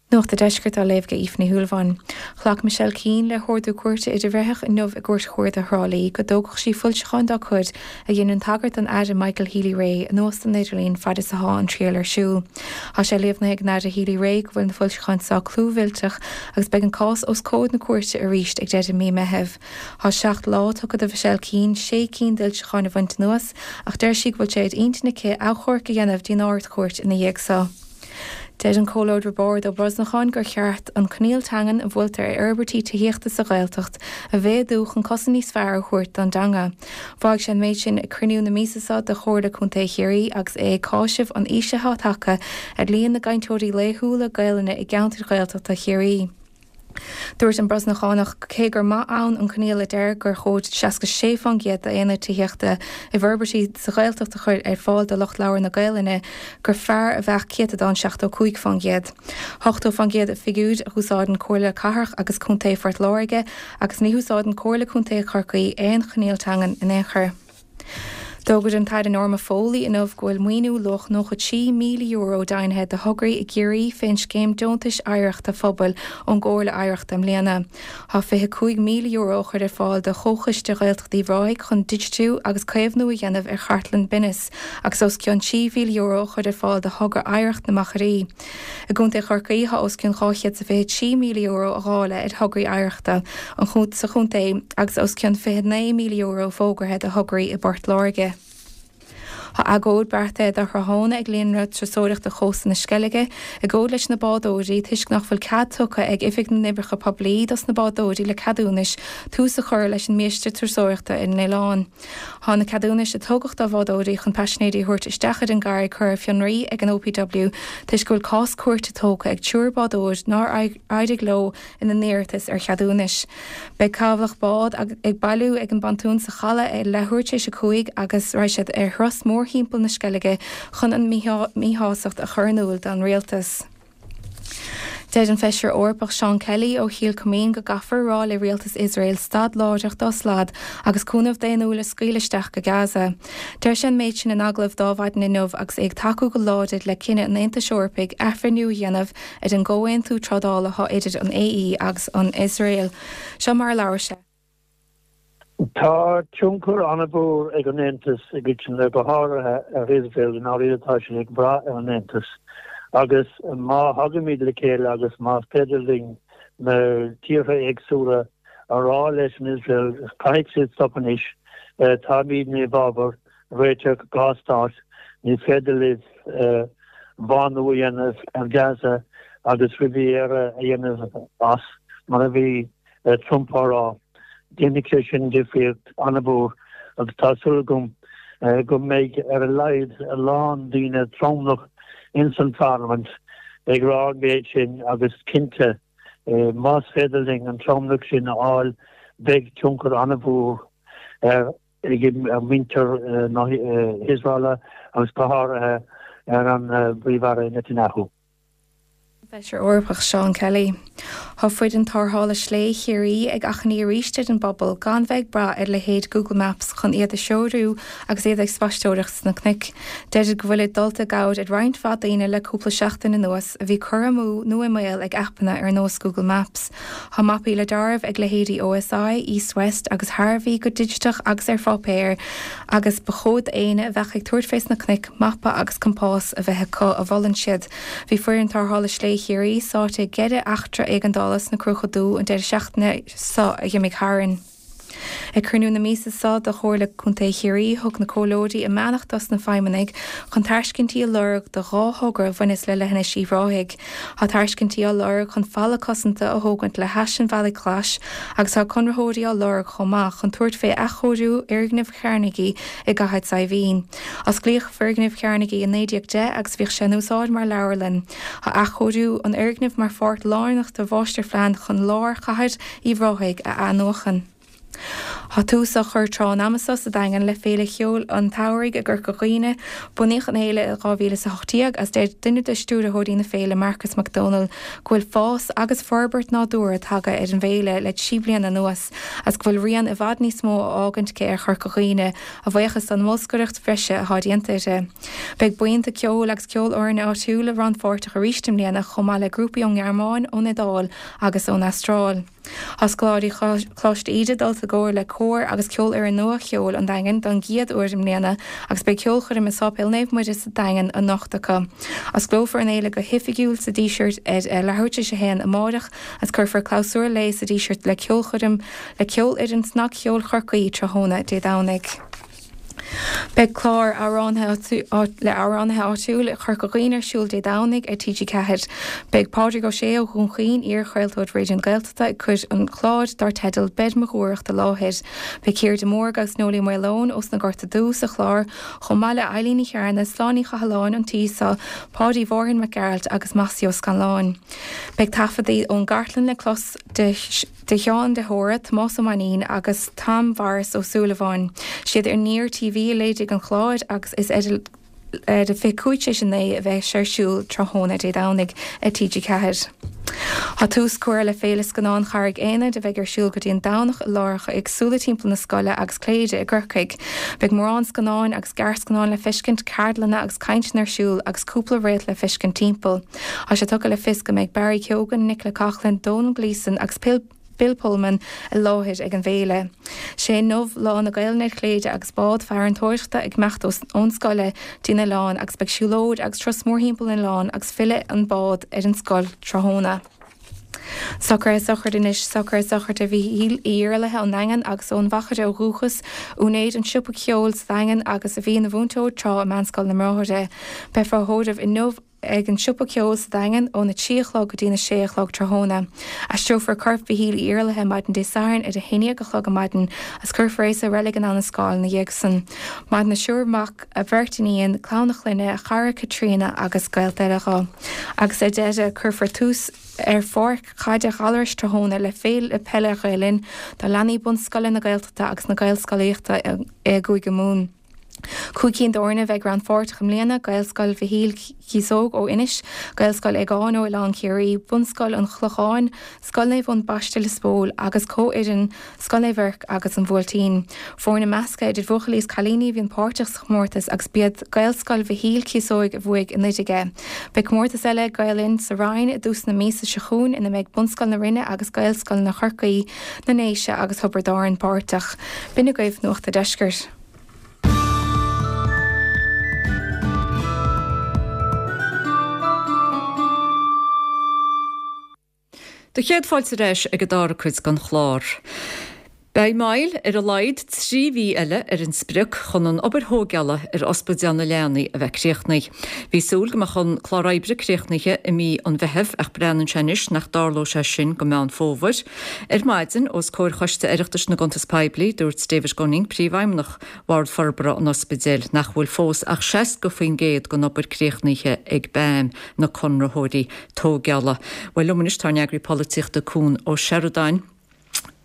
Nuacht a' Deiscirt á léamh ag Aoife Ní Shúilleabháin. Ghlac Michelle Keane le hordú cúirte idirbhreitheach inniu i gCúirt Chuarda Thrá Lí go dtógfadh sí foilseacháin dá cuid a dhéanann tagairt don Aire Michael Healy-Rae anuas den idirlíon fad is athá an triail ar siúl. Tá sé líomhnaithe ag an Aire Healy-Rae go bhfuil na foilseacháin seo clúmhillteach agus beidh an cás os comhair na cúirte arís ag deireadh mí Meithimh. Tá 7 lá tugtha do Mhichelle Keane sé cinn d'fhoilseacháin a bhaint anuas ach deir sí go bhfuil sé ar intinn aici achomharc a dhéanamh dtí'n Ard-Chúirt ina dhiaidh so. Deir an Comhairleoir Roibeárd Ó Brosnacháin gur cheart an coinníoll teangan a bhfuiltear ar fhorbairtí tithíochta sa Ghaeltacht a mhéadú chun cosaint níos fearr a thabhairt don dteanga. Mhaígh sé an méid sin ag cruinniú na míosa seo de Chomhairle Contae Chiarraí agus é ag cáiseamh an íslithe atá tagtha ar líon na gcainteoirí laethúla Gaelainne i gceantair Ghaeltachta Chiarraí. Dúirt an Brosnachánach cé gur maith ann an coinníoll a deir gur chóir 66% d'aonaid tithíochta i bhforbairtí sa Ghaeltacht a chur ar fáil do lucht labhartha na Gaelainne, gur fearr a bheadh céatadán 75%. 80% an figiúr a úsáideann Comhairle Cathrach agus Contae Phort Láirge agus ní húsáideann Comhairle Contae Chorcaí aon choinníoll teangan in aon chor. D'fhógair an tAire Norma Foley inniu go bhfuil maoiniú luach €93,000 deimhnithe do thograí i gCiarraí fén Scéim Deontais Oidhreachta Phobail ón gComhairle Oidhreachta i mbliana. Tá €25,000 á chur ar fáil do Chomhchoiste Ghaeltacht Uíbh Ráthaigh chun digitiú agus caomhnú a dhéanamh ar Chartlann Binnis agus os cionn €3,000 á chur ar fáil do thogra Oidhreacht na Machairí. I gContae Chorcaí, tá os cionn €223,000 á dháileadh ar thograí oidhreachta sa chontae agus os cionn €29,000 fógartha do thograí i bPort Láirge. Tá agóid beartaithe do thráthnóna ag Líonra Turasóireachta Chósta na Sceilge, agóid leis na bádóirí toisc nach bhfuil cead tugtha ag Oifig na nOibreacha Poiblí dos na bádóirí le ceadúnais tús a chur leis an mbiaiste turasóireachta ar an oileán. Tá na ceadúnais a tugadh do bhádóirí chun paisinéirí a thabhairt isteach ar an gcarraig curtha ar fionraí ag an OPW toisc go bhfuil cás cúirte tógtha ag triúr bádóir nár éirigh leo ina n-iarratas ar cheadúnais. Beidh cabhlach bád ag bailiú ag an bpontún sa Chaladh ag leathuair tar éis a 5 agus raghaidh siad ar thuras mórthimpeall na Sceilge chun an míshástacht a chur in iúl don rialtas. Deir an Feisire Eorpach Seán Kelly ó Chill Coimín go gcaithfear a rá le rialtas Iosrael stad láithreach dá slad agus cúnamh daonnúil a scaoileadh isteach go Gaza. Deir sé an méid sin in agallamh d'Adhmhaidin inniu agus é ag tacú go láidir le cinneadh an Aontais Eorpaigh athbhreithniú a dhéanamh ar an gcomhaontú trádála atá idir an AE agus an Iosrael. Seo mar a labhair sé. Tá tionchar an-mhór ag an Aontas i gcoitinne, go háirithe ar Iosrael, i ndáiríre tá siad ag brath ar an Aontas agus má thagaimid le chéile agus más féidir linn na tíortha éagsúla a rá leis an Iosrael caithfidh siad stop anois, táimidne i bhfabhar réiteach 2 stát, ní féidir libh bánú a dhéanamh ar Gaza agus Riviera a dhéanamh as mar a bhí Trump á rá. Déanfaidh sé sin difríocht an-mhór agus tá súil agam go mbeidh ar a laghad a lán daoine tromlach ins an pharlaimint ag rá an méid sin agus cinnte más féidir linn an tromlach sin a fháil beidh tionchar an-mhór ar mhuintir na hIosraela agus go háirithe ar an bPríomh-Aire Netanyahu. Feisire Eorpach Seán Kelly. Tá foireann tarrthála slé Chiarraí ag achainí arís ar an bpobal gan bheith ag brath ar leithéid Google Maps chun iad a threorú agus iad ag spaisteoireacht sna cnoic. Deirid go bhfuilid dulta i gcabhair ar roinnt mhaith daoine le cúpla seachtain anuas a bhí curtha amú nó i mbaol ag aipeanna ar nós Google Maps. Tá mapaí le deáramh ag leithéidí OSI, East West agus Harvey go digiteach agus ar pháipéar agus ba chóir d'éinne a bheadh ag tabhairt fés na cnoic mapa agus compás a bheith acu, a mholann siad. Bhí foireann tarrthála slé Chiarraí sáite i gceithre eachtra éigeandála sna Cruacha Dubha an deireadh seachtaine seo a dh'imigh tharainn. Ag cruinniú na míosa seo de Chomhairle Contae Chiarraí thug na comhairleoirí a mbeannacht dos na feidhmeannaigh chun tairscintí a lorg do dhá thogra a bhaineas le Leithinis Uíbh Ráthaigh. Tá tairscintí á lorg chun falla cosanta a thógaint le hais an Bhealaigh Ghlais agus tá conraitheoirí á lorg chomh maith chun tabhairt fé athchóiriú fhoirgneamh Carnegie i gCathair Saidhbhín. Osclaíodh foirgneamh Carnegie i 1910 agus bhíodh sé in úsáid mar leabharlann. Tá athchóiriú an fhoirgnimh mar pháirt lárnach de mháistirphlean chun lár chathair Uíbh Ráthaigh a athnuachan. Tá tús á chur tráth an ama seo sa Daingean le Féile Cheoil an tSamhraidh i gCorca Dhuibhne. Bunaíodh an fhéile i 2018 agus deir duine de stiúrthóirí na féile, Marcus Mac Dónaill, go bhfuil fás agus forbairt nádúrtha tagtha ar an bhféile le 3 bliana anuas agus go bhfuil rian i bhfad níos mó á fhágaint aici ar Chorca Dhuibhne, a bhuíochas don mbolscaireacht bhreise atá déanta uirthi. Beidh buíonta ceoil agus ceolfhoirne áitiúla rannpháirteach arís i mbliana chomh maith le grúpaí ón nGearmáin, ón Iodáil agus ón Astráil. Tá scoláirí Choláiste Íde dulta i gcomhar le cór agus ceolfhoireann nua cheoil an Daingin don gcéad uair i mbliana agus beidh ceolchoirm i Sáipéal Naomh Muire sa Daingean anocht acu. Osclófar an fhéile go hoifigiúil sa Díseart ar leathuair tar éis a haon amáireach agus cuirfear clabhsúr léi sa Díseart le ceolchoirm le Ceolfhoireann Snagcheoil Chorcaí tráthnóna Dé Domhnaigh. Beidh clár amhránaithe le amhránaithe áitiúil Chorca Dhuibhne ar siúl Dé Domhnaigh ar TG4. Beidh Pádraig Ó Sé ó Dhún Chaoin, iar-chraoltóir Raidió na Gaeltachta, ag cur an chláir dar teideal Beir Mo Dhúthracht i láthair. Beidh Ciara de Mórdha agus Noelie Maoileoin ós na Gorta Dubha sa chlár, chomh maith le Eilín Ní Chearna, Sláine Ní Chathalláin an tí seo, Páidí Mhárthain Mac Gearailt agus Mossie Ó Scanláin. Beidh taifeadtaí ón gcartlann le clos de. de Sheán de hÓra, Tomás Ó Mainnín agus Tom Mhaurice Ó Súilleabháin. Siad Aniar TV a léirigh an clár agus is ar. Ar a 9:25 a bheidh sé ar siúl tráthnóna Dé Domhnaigh ar TG4. Tá tús curtha le Féile Scannán Charraig Aonair a bheidh ar siúl go dtí an Domhnach i láithreacha éagsúla timpeall na scoile agus Cléire i gCorcaigh. Beidh mórán scannáin agus gearrscannáin le feiscint, ceardlanna agus cainteanna ar siúl agus cúpla réalt le feiscint timpeall. Tá sé tugtha le fios go mbeidh Barry Keoghan, Nicola Coughlan, Domhnall Gleeson agus Bill Pullman i láthair ag an bhféile. Sé inniu Lá na Gaelainne ar Chléire agus bád farantóireachta ag imeacht ón scoile dtí an oileán agus beidh siúlóid agus turas mórthimpeall an oileáin agus fillfidh an bád ar an scoil tráthnóna. Socruithe sochraide anois, socruithe sochraide Mhíchíl Uí Iarlaithe ón nDaingean agus ón Mhachaire ó dhúchas, úinéir an tsiopa ceoil sa Daingean agus a bhí ina mhúinteoir tráth i Meánscoil na mBráithre. Beifear á thórramh inniu ag an Siopa Ceoil sa Daingean óna 3 a chlog go dtína 6 a chlog tráthnóna. Aistreofar corp Mhichíl Uí Iarlaithe maidin Dé Sathairn ar a 11 a chlog ar maidin agus cuirfear é sa reilig in Abhainn an Scáil ina dhiaidh san. Maireann a thriúr mac, a bheirt iníon, clann a chlainne, a chara Caitríona agus gaolta eile dhó. Agus ar deireadh, cuirfear tús ar pháirc chaide Ghallarais tráthnóna le Féile Peile Ghael Linn do leanaí bunscoile na Gaeltachta agus na Gaelscolaíochta i gCúige Mumhan. 5 cinn d'fhoirne a bheidh rannpháirteach i mbliana, Gaelscoil Mhichíl Cíosóg ó Inis, Gaelscoil Aogáin ó Oileán Ciarraí, Bunscoil an Chlocháin, Scoil Naomh Eoin Baiste Lios Póil agus comhfhoireann Scoil Naomh Eirc agus an Bhuailtín. Foirne measctha idir bhuachaillí is cailíní a bhíonn páirteach sa chomórtas agus b'iad Gaelscoil Mhichíl Cíosóig a bhuaigh i 19. Beidh comórtas eile ag Gael Linn sa Rinn i dtús na míosa seo chugainn ina mbeidh Bunscoil na Rinne agus Gaelscoileanna Chorcaí, na nDéise agus Thiobraid Árann páirteach. B'in agaibh Nuacht a' Deiscirt. Do chéad fáilte ar ais ag an dara cuid den chlár. Beidh moill ar a laghad 3 mhí eile ar an sprioc chun an obair thóigeála ar Ospidéal na Leanaí a bheith críochnaithe. Bhí súil go mbeadh an clár oibre críochnaithe i mí an Mheithimh ach breathnaíonn sé anois nach dtarlóidh sé sin go Meán Fómhair. Ar maidin, os comhair Choiste Oireachtais na gCuntas Poiblí, dúirt David Gunning, Príomhfheidhmeannach Bhord Forbartha an Ospidéil, nach bhfuil fós ach 60% den obair críochnaithe ag BAM, na conraitheoirí tóigeála. Bhuel, liom anois tá ár n-eagraí polaitíochta Cuan Ó Seireadáin.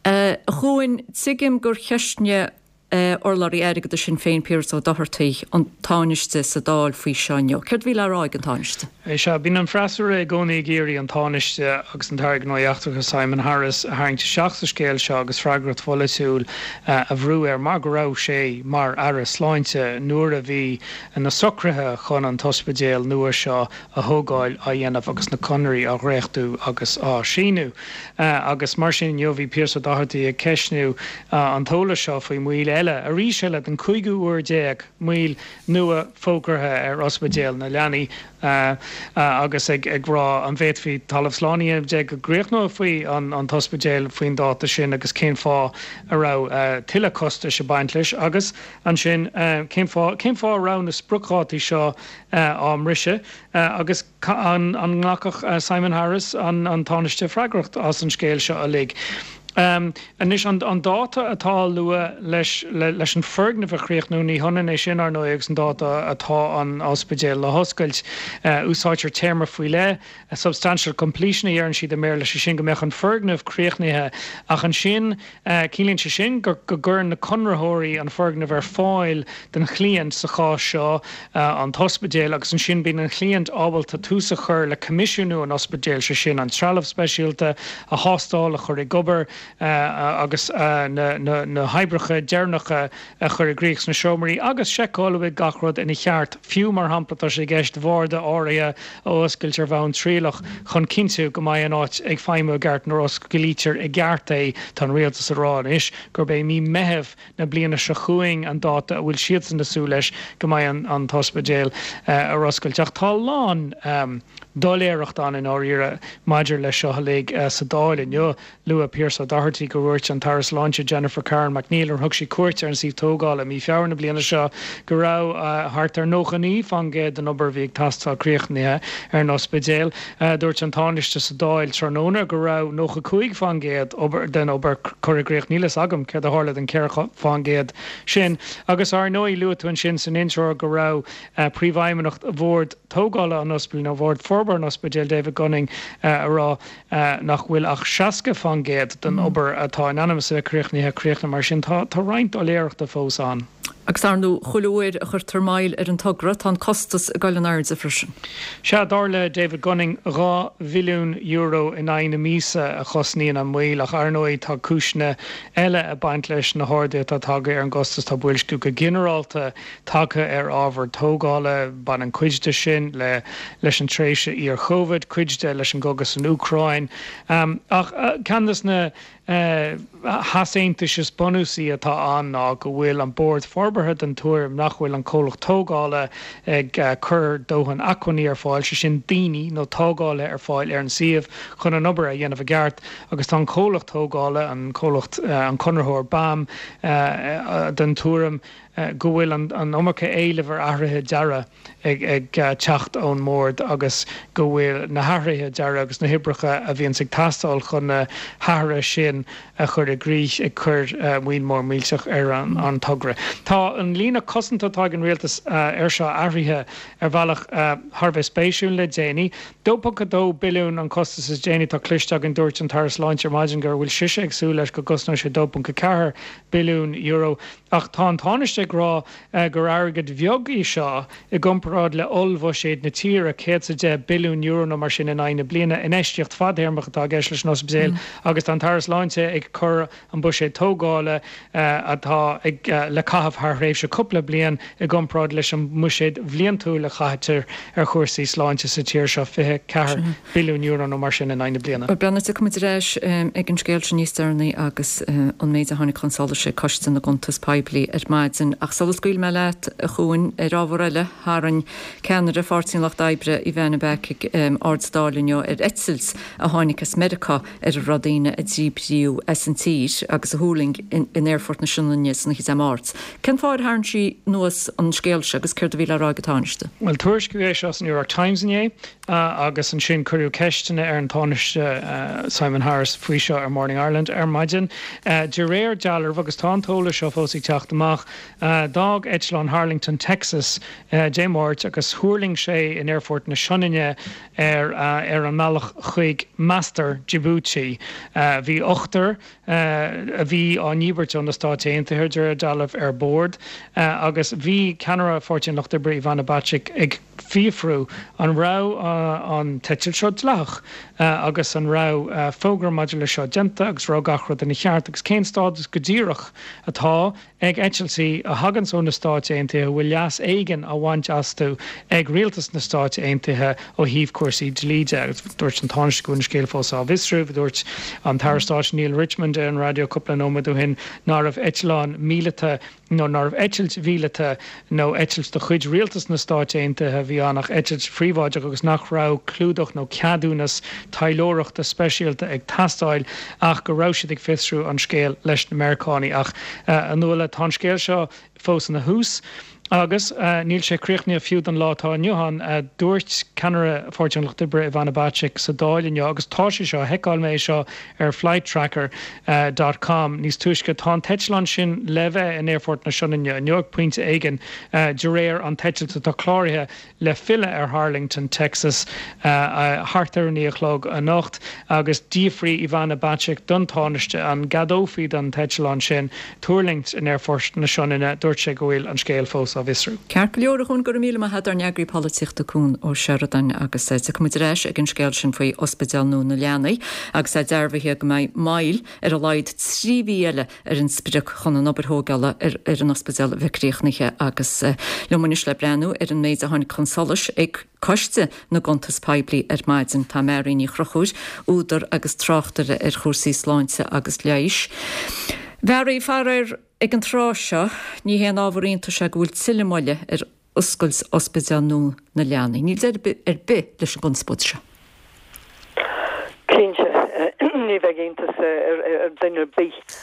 A Chuain, tuigim gur cheistnigh urlabhraí airgeadais Shinn Féin, Piaras Ó Dochartaigh, an Tánaiste sa Dáil faoi seo inniu. Céard a bhí le rá ag an Tánaiste? Sea, bíonn an freasúra i gcónaí ag iarraidh an Tánaiste agus an tAire Gnóthaí Eachtracha Simon Harris a tharraingt isteach sa scéal seo agus freagracht pholaitiúil a bhrú air mar go raibh sé mar Aire Sláinte nuair a bhí na socruithe chun an t-ospidéal nua seo a thógáil á dhéanamh agus na conairí á dhréachtú agus á síniú. Agus mar sin inniu bhí Pearse Doherty ag ceistniú an t-eolas seo faoi mhoill eile, arís eile, den chúigiú huair déag, moill nua fógartha ar Ospidéal na Leanaí agus ag rá an bhféadfaí talamh slán a dhéanamh de go gcríochnófaí an t-ospidéal faoin dáta sin agus cén fáth a raibh tuilleadh costais ag baint leis agus ansin cén fáth cén fáth a raibh na spriocdhátaí seo á mbriseadh agus an nglacfadh Simon Harris, an Tánaiste, freagracht as an scéal seo uilig. Anois, an dáta atá á lua leis leis an foirgneamh a chríochnú, ní hionann é sin, ar ndóigh, agus an dáta atá an ospidéal le hoscailt. Úsáidtear téarma faoi leith, substantial completion a dheireann siad i mBéarla, sé sin go mbeadh an foirgneamh críochnaithe ach ansin, Ciallaíonn sé sin go gcuireann na conraitheoirí an foirgneamh ar fáil don chliant, sa chás seo an t-ospidéal, agus ansin bíonn an chliant ábalta tús a chur le coimisiúnú an ospidéil, sé sin an trealamh speisialta a thástáil, a chur ag obair agus na hoibreacha deireanacha a chur i gcrích sna seomraí agus seiceáil an bhfuil gach rud ina cheart, fiú, mar shampla, tá sé i gceist bharda áirithe a oscailt ar bhonn trialach chun cinntiú go mbeidh an áit ag feidhmiú i gceart nuair a osclaítear i gceart é. Tá an rialtas ag rá anois gurb é mí Meithimh na bliana seo chugainn an dáta a bhfuil siadsan ag súil leis go mbeidh an t-ospidéal ar oscailt. Ach tá a lán doiléireacht ann i ndáiríre maidir leis seo uilig sa Dáil inniu. Luaigh Pearse Doherty gur dhúirt an tAire Sláinte Jennifer Carroll MacNeill nuair a thug sí cuairt ar an suíomh tógála i mí Feabhra na bliana seo go raibh thart ar 99% den obair a bhí ag teastáil críochnaithe ar an ospidéal. Dúirt an Tánaiste sa Dáil tráthnóna go raibh 95% den obair curtha i gcrích. Níl a fhios agam céard a tharla don 4% sin. Agus ar ndóigh luaigh tú ansin san intro go raibh Príomhfheidhmeannach Bhord Tógála an Ospidéil nó Bhord Forbartha an Ospidéil, David Gunning, ag rá nach bhfuil ach 60% den obair atá in ainm is a bheith críochnaithe críochnaithe. Mar sin, tá roinnt doiléireachta fós ann. Agus ar ndóigh, chuile uair a chuirtear moill ar an togra, tá an costas ag dul in airde freisin. Sea, dar le David Gunning, €2 mhilliún in aghaidh na míosa a chosnaíonn an mhoill, ach ar ndóigh tá cúiseanna eile ag baint leis na harduithe atá tagtha ar an gcostas. Tá boilsciú go ginearálta tagtha ar ábhar tógála, baineann cuid de sin le leis an tréimhse iar-Chovid, cuid de leis an gcogadh san Úcráin. Ach ceann de na heasaontais is bunúsaí atá ann ná go bhfuil an Bord Forbartha den tuairim nach bhfuil an comhlacht tógála ag cur dóthain acmhainní ar fáil, sé sin daoine nó tógálaithe ar fáil ar an suíomh chun an obair a dhéanamh i gceart agus tá an comhlacht tógála, an comhlacht, an conraitheoir BAM, den tuairim go bhfuil an iomarca éilimh ar athruithe dearaidh ag teacht ón mBord agus go bhfuil na hathruithe dearaidh agus na hoibreacha a bhíonns ag teastáil chun na hathruithe sin a chur i gcrích ag cur moill mhór mhillteach ar an togra. Tá an líne cosanta atá ag an Rialtas air seo athraithe ar bhealach thar a bheith spéisiúil le déanaí. 2.2 billiún an costas is déanaí atá cloiste againn. Dúirt an tAire Sláinte ar maidin go bhfuil sise ag súil leis go gcosnóidh sé €2.4 billiún. Ach tá an Tánaiste ag rá gur airgead bheag í seo i gcomparáid le ollbhuiséad na tíre, €110 billiún nó mar sin in aghaidh na bliana. Infheistíocht fadthéarmach atá i gceist leis an ospidéal agus tá an tAire Sláinte ag cur an buiséad tógála atá ag le caitheamh thar thréimhse cúpla bliain i gcomparáid leis an mbuiséad bhliantúil a chaitear ar chúrsaí sláinte sa tír seo, €24 billiún nó mar sin in aghaidh na bliana. Breathnaigh, tiocfaidh muid ar ais ag an scéal sin níos deireanaí agus an méid a tháinig chun solais ag Coiste na gCuntas Poiblí ar maidin. Ach sula scaoilfidh mé leat, a Chuain, ar ábhar eile, tharraing ceannaire Pháirtí an Lucht Oibre, Ivana Bacik, aird sa Dáil inniu ar eitilt a tháinig as Meiriceá ar a raibh daoine a díbríodh as an tír agus a thuirling in Aerfort na Sionainne san oíche Dé Máirt. Cén fáth ar tharraing sí anuas an scéal seo agus céard a bhí le rá ag an Tánaiste? Bhuel, tuairiscíodh é seo sa New York Times inné agus ansin cuireadh ceisteanna ar an Tánaiste Simon Harris faoi seo ar Morning Ireland ar maidin. De réir dealraimh, agus tá an t-eolas seo fós ag teacht amach, d'fhág eitleán Harlington, Texas Dé Máirt agus thuirling sé in Aerfort na Sionainne ar ar an mbealach chuig, meastar, Djibouti. Bhí ochtar a bhí á ndíbirt ó na Stáit Aontaithe, de réir dealraimh, ar bord agus bhí ceannaire Pháirtí an Lucht Oibre, Ivana Bacik, ag fiafrú an raibh an t-eitilt seo dleathach agus an raibh fógra maidir leis seo déanta agus raibh gach rud ina cheart agus cén stádas go díreach atá ag eitiltí a thaganns ó na Stáit Aontaithe a bhfuil leas éigin á bhaint astu ag rialtas na Stáit Aontaithe ó thaobh cúrsaí dlí de. Agus dúirt an Tánaiste go bhfuil an scéal fós á bhfiosrú. Dúirt an tAire Stáit Neale Richmond ar an raidió cúpla nóiméad ó shin nárbh eitleán míleata nó nárbh eitilt mhíleata nó eitilt de chuid rialtas na Stáit Aontaithe a bhí ann ach eitilt phríobháideach agus nach raibh clúdach nó ceadúnas taidhleoireachta speisialta ag teastáil ach go raibh siad ag fiosrú an scéil leis na Meiriceánaigh. Ach, a Nuala, tá an scéal seo fós ina thús agus níl sé críochnaithe fiú don lá atá inniu ann, a dúirt ceannaire Pháirtí an Lucht Oibre Ivana Bacik sa Dáil inniu agus tá sé seo, sheiceáil mé é seo ar flighttracker dot com níos túisce. Tá an t-eitleán sin le bheith in Aerfort na Sionainne inniu ag pointe éigin, de réir an t-eitilt atá cláraithe le filleadh ar Harlington, Texas thart ar a 9 a chlog anocht agus d'fhiafraigh Ivana Bacik don Tánaiste an gceadófaí don t-eitleán sin tuirlingt in Aerfort na Sionainne. Dúirt sé go bhfuil an scéal fós á bhfiosrú. Ceart go leor, a Chuain, go raibh míle maith agat, ár n-eagraí polaitíochta Cuan Ó Seireadáin agus tiocfaidh muid ar ais ag an scéal sin faoi Ospidéal nua na Leanaí agus é dearbhaithe go mbeidh moill ar a laghad 3 mhí eile ar an sprioc chun an obair thógála ar an ospidéal a bheith críochnaithe agus liom anois le breathnú ar an méid a tháinig chun solais ag Coiste na gCuntas Poiblí ar maidin. Tá Mary Ní Chonchúir, údar agus tráchtaire ar chúrsaí sláinte agus leighis. Mary, faraor, ag an tráth seo, ní haon ábhar iontais é go bhfuil tuilleadh moille ar oscailt Ospidéal nua na Leanaí. Níl deireadh ar bith leis an gconspóid seo. Cinnte, ní bheidh iontas ar dhuine ar bith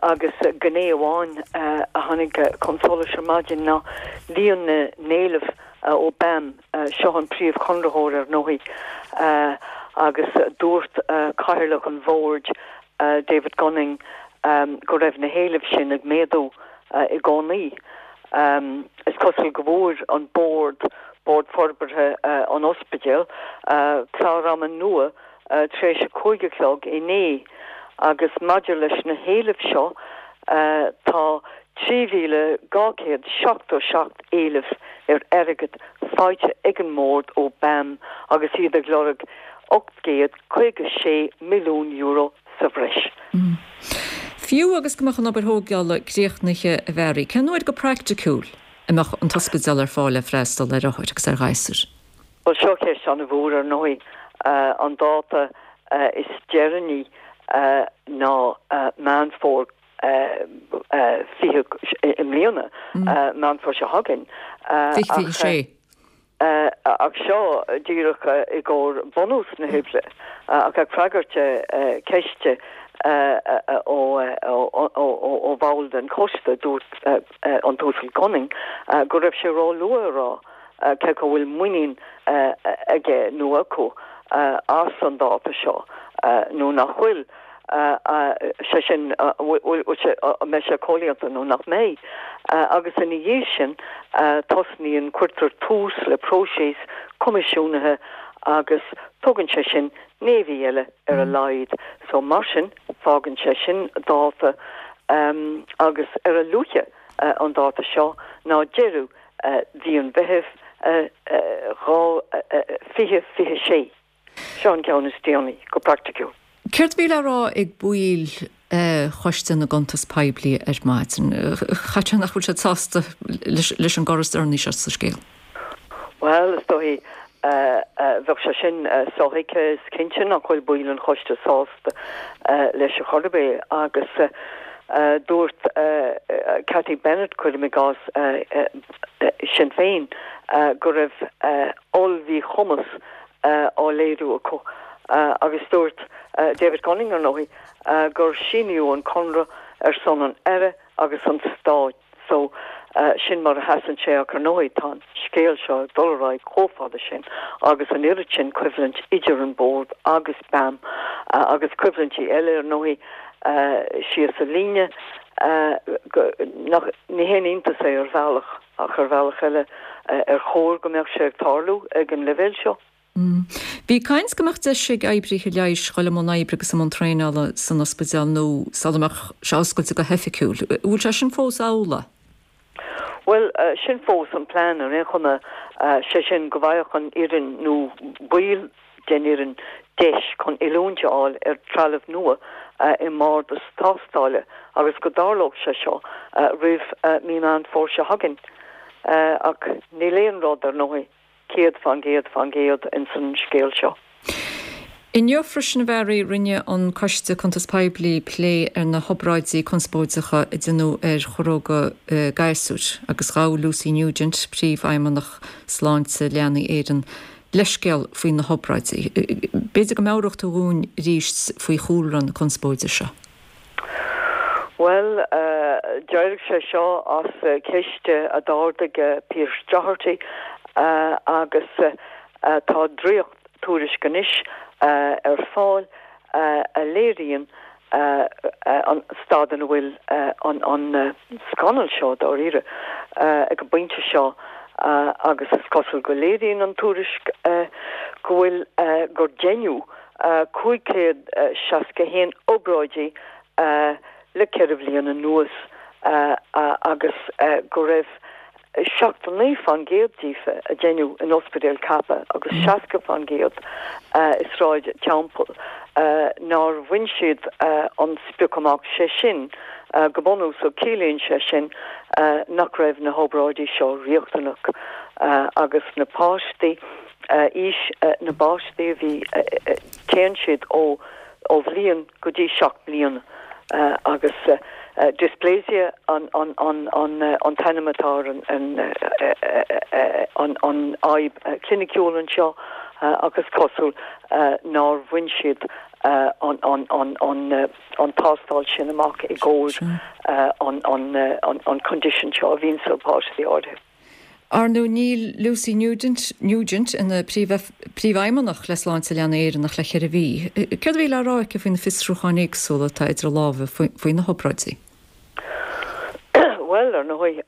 agus gné amháin a tháinig chun solais ar maidin ná líon na n-éileamh ó BAM, seo an príomhchonraitheoir ar ndóigh, agus dúirt cathaoirleach an bhoird, David Gunning, go raibh na héilimh sin ag méadú i gcónaí. Is cosúil go bhfuair an bord, Bord Forbartha an Ospidéil, clár ama nua tar éis a 5 a chlog inné agus maidir leis na héilimh seo, tá. 3,277 éileamh ar airgead faighte ag an mBord ó BAM agus iad ag lorg €856 milliún sa bhreis. Fiú agus go mbeadh an obair thógála críochnaithe, a Mhary, cén uair go praiticiúil a mbeadh an t-ospidéal ar fáil le freastal ar othair agus ar ghasúir? Bhuel, seo ceist an-mhór, ar ndóigh. An dáta is deireanaí ná Meán Fómhair 20 i mbliana, Meán Fómhair seo chugainn. 2026. Ach seo díreach i gcomhair bunús na hoibre, ach ag freagairt ceiste ó bhall den choiste, dúirt an tUasal Gunning go raibh sé ró-luath a rá cé acu an bhfuil muinín aige nó acu as an dáta seo nó nach bhfuil. sé sin, an mbeidh sé comhlíonta nó nach mbeidh. Agus ina dhiaidh sin, tosnaíonn, cuirtear tús le próiseas coimisiúnaithe agus tógann sé sin naoi mhí eile ar a laghad. So, mar sin, fágann sé sin dáta agus ar a luaithe an dáta seo ná deireadh mhí an Mheithimh 2026. Seo an ceann is déanaí, go praiticiúil. Céard a bhí le rá ag baill Choiste na gCuntas Poiblí ar maidin? Caithfidh sé nach bhfuil siad sásta leis an gcor is deireanaí seo sa scéal? Bhuel, is dóigh, bheadh sé sin sothuigthe. Is cinnte nach bhfuil baill an choiste sásta leis ar chor ar bith agus dúirt Cathy Bennett, cuirim i gcás, Sinn Féin, go raibh oll-mhíchumas á léiriú acu agus dúirt David Gunning, ar ndóigh, gur síníodh an conradh ar son an Aire agus an Stáit so sin mar a sheasann sé ach ar ndóigh tá an scéal seo ag dul ar aghaidh chomh fada sin agus an oiread sin coimhlint idir an Bord agus BAM agus coimhlintí eile ar ndóigh síos an líne go nach ní haon iontas é ar bhealach. Ach ar bhealach eile, ar chóir go mbeadh sé ag tarlú ag an leibhéal seo? Bhí caint go mbeadh deis ag oibrithe leighis dhul i mbun oibre agus i mbun traenála san ospidéal nua sula mbeadh sé oscailte go hoifigiúil. An bhfuil sé sin fós amhlaidh? Bhuel, sin fós an plean ar aon chuma, sé sin go bhfaigheadh an fhoireann nó baill den fhoireann deis chun oiliúint a fháil ar trealamh nua i mbardas tástála agus go dtarlódh sé seo roimh mí Meán Fómhair seo chugainn. Ach níl aon rud, ar ndóigh, 100% fán gcéad ins an scéal seo. Inniu freisin, a Mhary, rinne an Coiste Cuntas Poiblí plé ar na hobráidí conspóideacha a deineadh ar chorróga gasúir agus ghabh Lucy Nugent, Príomhfheidhmeannach Sláinte Leanaí Éireann, leithscéal faoi na hobráidí. B'fhéidir go meabhródh tú dhúinn arís faoi chúlra na conspóide seo. Bhuel, d'éirigh sé seo as ceist a d'ardaigh Pearse Doherty agus tá dréacht-tuairisc anois ar fáil a léiríonn an staid ina bhfuil an scannal seo, dáiríre, ag an bpointe seo agus is cosúil go léiríonn an tuairisc go bhfuil, gur deineadh 561 obráidí le ceithre bhliain anuas agus go raibh 79% díofa a deineadh in Ospidéal Cappagh agus 60% i Sráid Teampall nár bhain siad an sprioc amach, sé sin, go bunúsach ciallaíonn sé sin nach raibh na hobráidí seo riachtanach agus na páistí, aois na bpáistí a bhí, téann siad ó bhliain go dtí 7 mbliana agus dysplasia an t-ainm atá ar an fhadhb chliniciúil anseo agus is cosúil nár bhain siad an tástáil sin amach i gcomhair an condition seo a bhíonn sna páistí áirithe. Ar ndóigh, níl Lucy Nugent, Nugent ina Príomhfheidhmeannach le Sláinte Leanaí Éireann ach le ceithre mhí. Céard a bhí le rá aici faoi na fiosrúcháin éagsúla atá idir lámha faoi na hobráidí? Bhuel, ar ndóigh,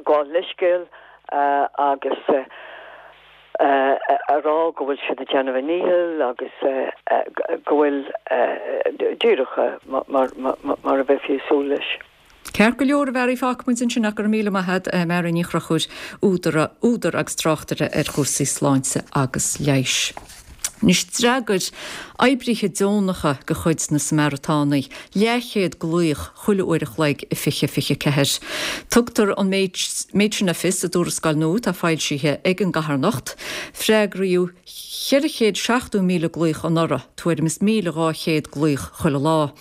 gabháil leithscéal agus a rá go bhfuil siad ag déanamh a ndícheall agus go bhfuil, díreach mar a bheifí ag súil leis. Ceart go leor, a Mhary, fágfaidh muid ansin ach go raibh míle maith agat, Mary Ní Chonchúir, údar, údar agus tráchtaire ar chúrsaí sláinte agus leighis. Anois d'fhreagair oibrithe deonacha de chuid na Samaritánaigh leathchéad glaoch chuile uair a chloig i 2024. Tugtar an méid sin le fios i dtuarascáil nua atá foilsithe ag an gcarthanacht. Freagraíodh 470,000 glaoch anuraidh, tuairim is 1,200 glaoch chuile lá.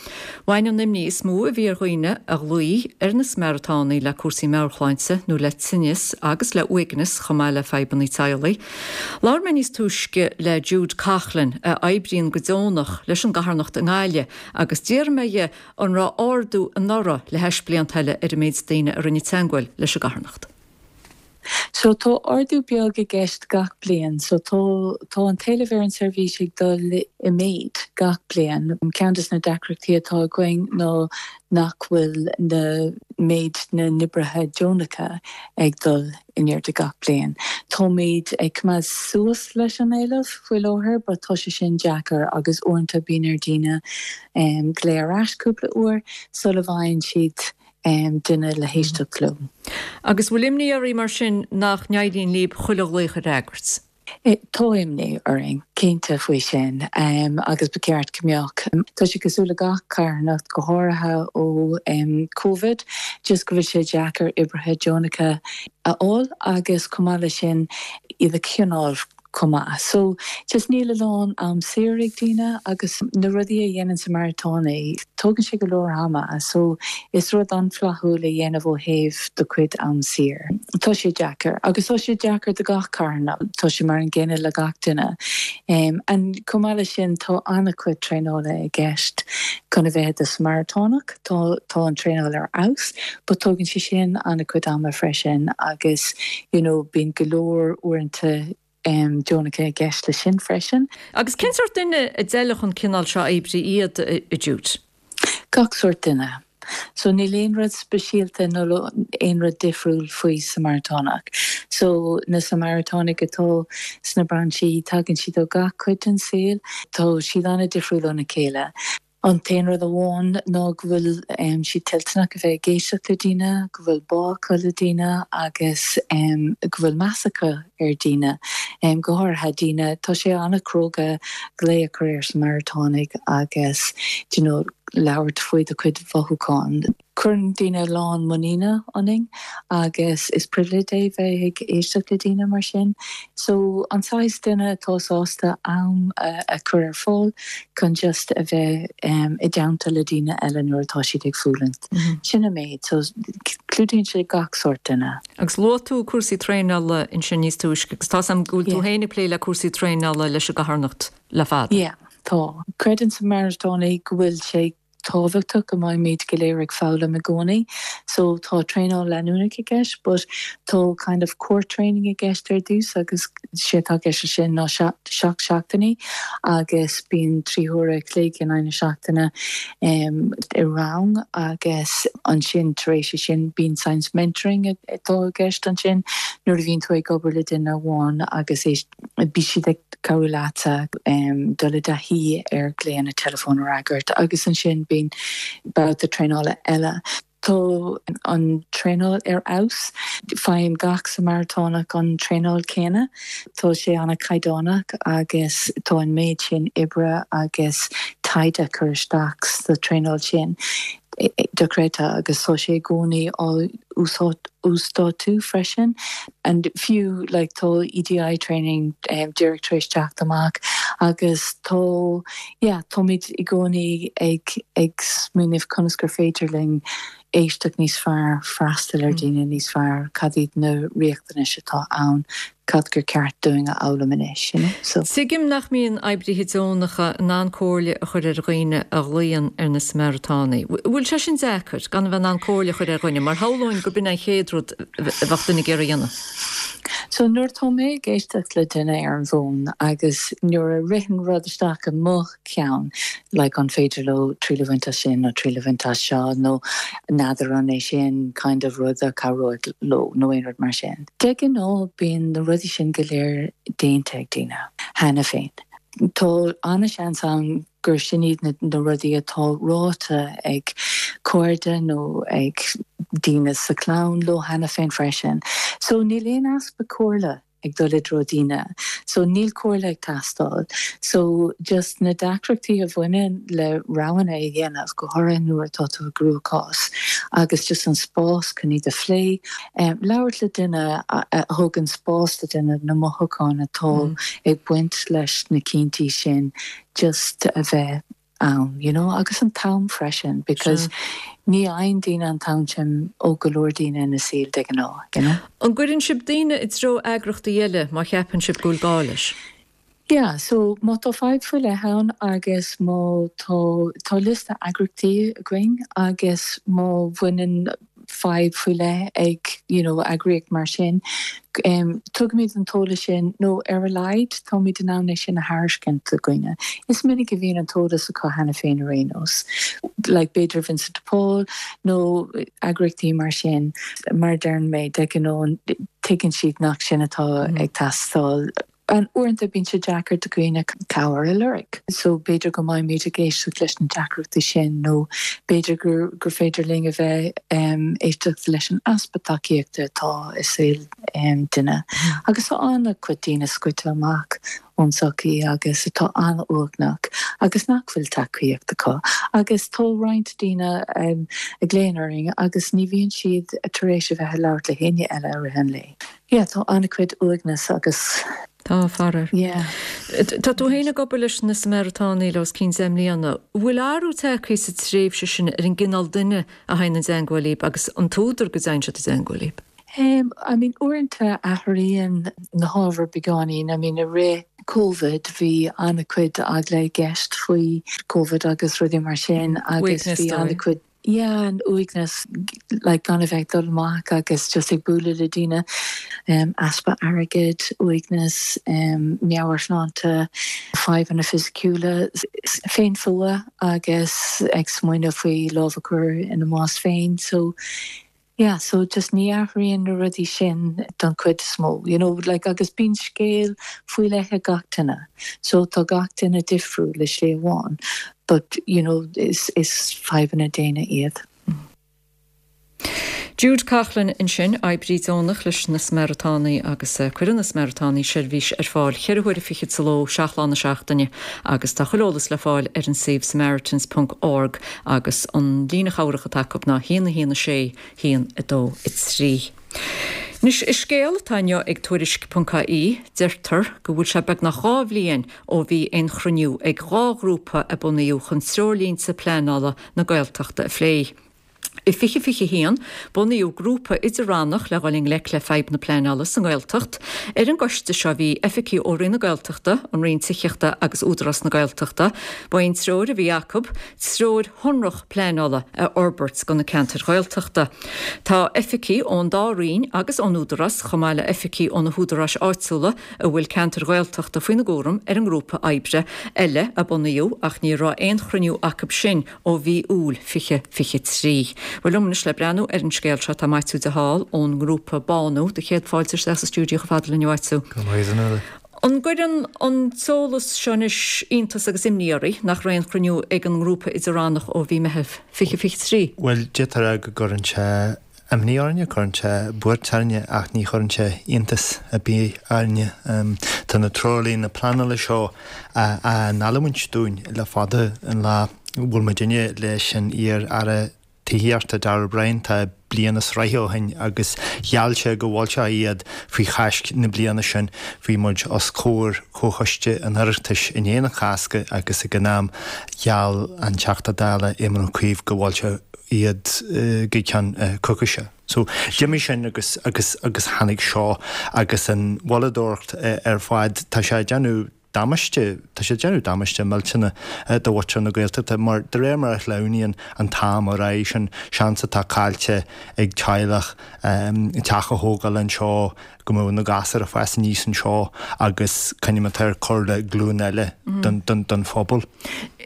Bhain an imní is mó a bhí ar dhaoine a ghlaoigh ar na Samaritánaigh le cúrsaí meabhairshláinte nó le tinneas agus le uaigneas chomh maith le fadhbanna teaghlaigh. Labhair mé níos túisce le Jude Coughlan, a oibríonn go deonach leis an gcarthanacht i nGaillimh, agus d'fhiafraigh mé dhe an raibh ardú anuraidh le hais blianta eile ar an méid daoine a rinne teagmháil leis an gcarthanacht. So tá ardú beag i gceist gach bliain. So tá, tá an t-éileamh ar an seirbhís ag dul i méid gach bliain. Ceann des na deacrachtaí atá againn ná nach bhfuil na méid na n-oibrithe deonacha ag dul in airde gach bliain. Táimid ag coimeád suas leis an éileamh faoi láthair but tá sé sin deacair agus uaireanta bíonn ar daoine glao ar ais cúpla uair sula bhfaigheann siad duine le héisteacht leo. Agus bhfuil imní oraibh mar sin nach n-éiríonn libh chuile ghlaoch a fhreagairt? Tá imní orainn, cinnte, faoi sin agus ba cheart go mbeadh. Tá sé cosúil le gach carthanacht, go háirithe ó Covid, just go bhfuil sé deacair oibrithe deonacha a fháil agus chomh maith leis sin iad a choinneáil chomh maith. So, just níl a lán am saor ag daoine agus na rudaí a dhéanann Samaritánaigh, tógann sé go leor ama. So, is rud an-fhlaithiúil a dhéanamh ó thaobh do chuid am saor. Tá sé deacair agus tá sé deacair do gach carthanacht, tá sé mar an gcéanna le gach duine. And chomh maith leis sin, tá an-chuid traenála i gceist chun a bheith i do Samaritánach. Tá tá an traenáil ar fheabhas but tógann sé sin an-chuid ama freisin agus you know bíonn go leor uaireanta deonacha i gceist leis sin freisin. Agus cén sórt duine a d'fheilfeadh an cineál seo oibre iad, a Jude? Gach sórt duine. So níl aon rud speisialta nó aon rud difriúil faoi Samaritánach. So na Samaritánaigh atá sna brainsí, tagann siad ó gach cuid den saol. Tá siad an-difriúil óna chéile. An t-aon rud amháin ná go bhfuil siad toilteanach a bheith ag éisteacht le daoine, go bhfuil bá acu le daoine agus go bhfuil meas acu ar daoine, go háirithe daoine, tá sé an-chróga glao a chur ar Samaritánaigh agus do you know labhairt faoi do chuid mhothúchán. Cuireann daoine a lán muiníne ionainn agus is pribhléid é bheith ag éisteacht le daoine mar sin. So, an saghas duine atá sásta am a chur ar fáil chun just a bheith i dteannta le daoine eile nuair atá siad ag fulaingt. Sin an méid. So, clúdaíonn sé gach sórt duine. Agus luaigh tú cúrsaí traenála ansin níos túisce agus tá's agam go bhfuil tú féin ag plé le cúrsaí traenála leis an gcarthanacht le fada. Yeah, tá. Creideann Samaritánaigh go bhfuil sé tábhachtach go mbeimid go léir ag foghlaim i gcónaí. So tá traenáil leanúnach i gceist but tá kind of core training i gceist ar dtús agus sé atá i gceist leis sin ná 7 seachtainí agus bíonn 3 huaire a chloig in aghaidh na seachtaine i rang agus ansin tar éis sin bíonn saghas mentoring atá i gceist ansin nuair a bhíonn tú ag obair le duine amháin agus é Bíonn siad ag cabhrú leatsa dul i dtaithí ar ghlaonna teileafóin a fhreagairt agus ansin bíonn babhta traenála eile. Tá an traenáil ar fheabhas. Faigheann gach Samaritánach an traenáil céanna. Tá sé an-chaighdeánach agus tá an méid sin oibre agus taighde curtha isteach sa traenáil sin. dochreidte agus tá sé i gcónaí á uasdátú freisin and fiú like tá EDI training díreach tar éis teacht amach agus tá yeah táimid i gcónaí ag ag smaoineamh conas gur féidir linn éisteacht níos fearr, freastal ar daoine níos fearr, cad iad na riachtanais atá ann cad gur ceart dúinn a fhoghlaim anois, you know, so. Tuigim nach mbíonn oibrithe deonacha in ann comhairle a chur ar dhaoine a ghlaonn ar na Samaritánaigh. Bhfuil sé sin deacair, gan a bheith in ann comhairle a chur ar dhuine, mar shamhlóinn gurb in an chéad rud a bheadh duine ag iarraidh a dhéanamh. So nuair atá mé ag éisteacht le duine ar an bhfón agus nuair a ritheann rud isteach i mo cheann, like an féidir leo triail a bhaint as sin nó triail a bhaint as seo nó n'fheadar an é sin kind of rud a chabhróidh leo nó aon rud mar sin. De ghnáth bíonn na rudaí sin go léir déanta ag daoine cheana féin. Tá an-seans ann gur sin iad na rudaí atá ráite ag. cairde nó ag daoine sa chlann leo cheana féin freisin. So níl aon easpa comhairle ag dul i dtreo daoine. So níl comhairle ag teastáil. So just na deacrachtaí a bhaineann le roghanna a dhéanamh, go háirithe nuair atá tú i gcruachás, agus just an spás chun iad a phlé. Labhairt le duine a thugann spás do duine na mothúcháin atá ag baint leis na cinntí sin just a bheith ann, you know, agus an t-am freisin because ní fhaigheann daoine an t-am sin ó go leor daoine ina saol de ghnáth, you know. An gcuireann sibh daoine i dtreo eagrachtaí eile má cheapann sibh go bhfuil gá leis? Yeah, so má tá fadhb faoi leith ann agus má tá, tá liosta eagrachtaí againn agus má bhaineann fadhb faoi leith ag you know eagraíocht mar sin, tugaimid an t-eolas sin nó ar a laghad táimid in ann é sin a thairiscint do dhaoine. Is minic a bhíonn an t-eolas acu cheana féin ar aon nós, like b'fhéidir Vincent de Paul nó eagraíochtaí mar sin, mar a deireann mé, de ghnáth tuigeann siad nach sin atá ag teastáil. Uaireanta bíonn sé deacair do dhaoine cabhair a lorg so b'fhéidir go mbeimid ag éisteacht leis na deacrachtaí sin nó b'fhéidir gur gur féidir linn a bheith éisteacht leis an easpa tacaíochta atá i saol duine. Agus tá an-chuid daoine scoite amach ón tsochaí agus atá an-uaigneach agus nach bhfuil tacaíocht acu. Agus tá roinnt daoine a ghlaonn orainn agus ní bhíonn siad tar éis a bheith ag labhairt le héinne eile i rith an lae. Yeah, tá an-chuid uaigneas agus. Tá, faraor. Yeah. Tá tú féin ag obair leis na Samaritánaigh le os cionn 10 mbliana. Bhfuil athrú tagtha sa tréimhse sin ar an gcineál duine a théann i dteangmháil libh agus an t-údar go dtéann siad i dteangmháil libh? I mean, uaireanta athraíonn na hábhair beagáinín. I mean, i rith Covid bhí an-chuid eagla i gceist faoi Covid agus rudaí mar sin agus bhí an-chuid. Yeah, an uaigneas, like gan a bheith ag dul amach agus just ag bualadh le daoine, easpa airgid, uaigneas, meabhairshláinte, fadhbanna fisiciúla, féinfhuath agus ag smaoineamh faoi lámh a chur ina mbás féin. So yeah, so just ní athraíonn na rudaí sin don chuid is mó, you know, like agus bíonn scéal faoi leith ag gach duine. So tá gach duine difriúil i slí amháin. but you know is is fadhbanna daonna iad. Jude Coughlan ansin, oibrí deonach leis na Samaritánaigh agus cuireann na Samaritánaigh seirbhís ar fáil cheithre huaire fichead sa ló, seacht lá na seachtaine agus tá chuile eolas le fáil ar an suíomh samaritans ponc org agus an líne chabhrach atá acu ná 1 1 6 1 2 3. Anois, i scéal atá inniu ag Tuairisc ponc ie, deirtear go bhfuil sé beagnach 2 bhliain ó bhí aon chruinniú ag 2 ghrúpa a bunaíodh chun treoirlínte pleanála na Gaeltachta a phlé. I 2021, bunaíodh grúpa idir-rannach le dhul i ngleic le fadhb na pleanála sa nGaeltacht. Ar an gcoiste seo bhí oifigigh ó Roinn na Gaeltachta, an Roinn Tithíochta agus Údarás na Gaeltachta. Ba é an treoir a bhí acu, treoir shonrach pleanála a fhorbairt do na ceantair Ghaeltachta. Tá oifigigh ón dá Roinn agus ón Údarás, chomh maith le oifigigh ó na húdaráis áitiúla a bhfuil ceantair Ghaeltachta faoina gcúram ar an ngrúpa oibre eile a bunaíodh ach ní raibh aon chruinniú acu sin ó mhí Iúil 2023. Bhuel liom anois le breathnú ar an scéal seo tá Maitiú de Hál ón ngrúpa Bánú. Do chéad fáilte isteach sa stiúideo chomh fada linn a Mhaitiú. Go raibh maith agat. An gcuireann an t-eolas seo anois iontas agus imní oraibh nach raibh aon chruinniú ag an ngrúpa idir-rannach ó mhí Meitheamh 2023? Bhuel, d'fhéadfá a rá go gcuireann sé imní orainne, cuireann sé buairt orainne ach ní chuireann sé iontas ar bith orainne. Tá na treoirlíne pleanála seo á n-geallúint dúinn le fada an lá. Bhuail muidinne leis an iar-aire Tithíochta, Darragh O'Brien, tá bliain is ráithe ó shin agus gheall sé go bhfoilseofaí iad faoi Cháisc na bliana sin. Bhí muid os comhair Chomhchoiste an Oireachtais i ndiaidh na Cásca agus ag an am gheall an Teachta Dála Éamon Ó Cuív go bhfoilseofaí iad go ceann coicíse. So d'imigh sin agus agus agus tháinig seo agus an mhoilleadóireacht ar fad. Tá sé ag déanamh damáiste, tá sé ag déanamh damáiste millteanach do mhuintir na Gaeltachta mar de réir mar a shleamhnaíonn an t-am ar aghaidh, sin seans atá caillte ag teaghlach teach a thógáil anseo, go mbeadh na gasúir ag fás aníos anseo agus coinním atá ar cur le glúin eile den phobal.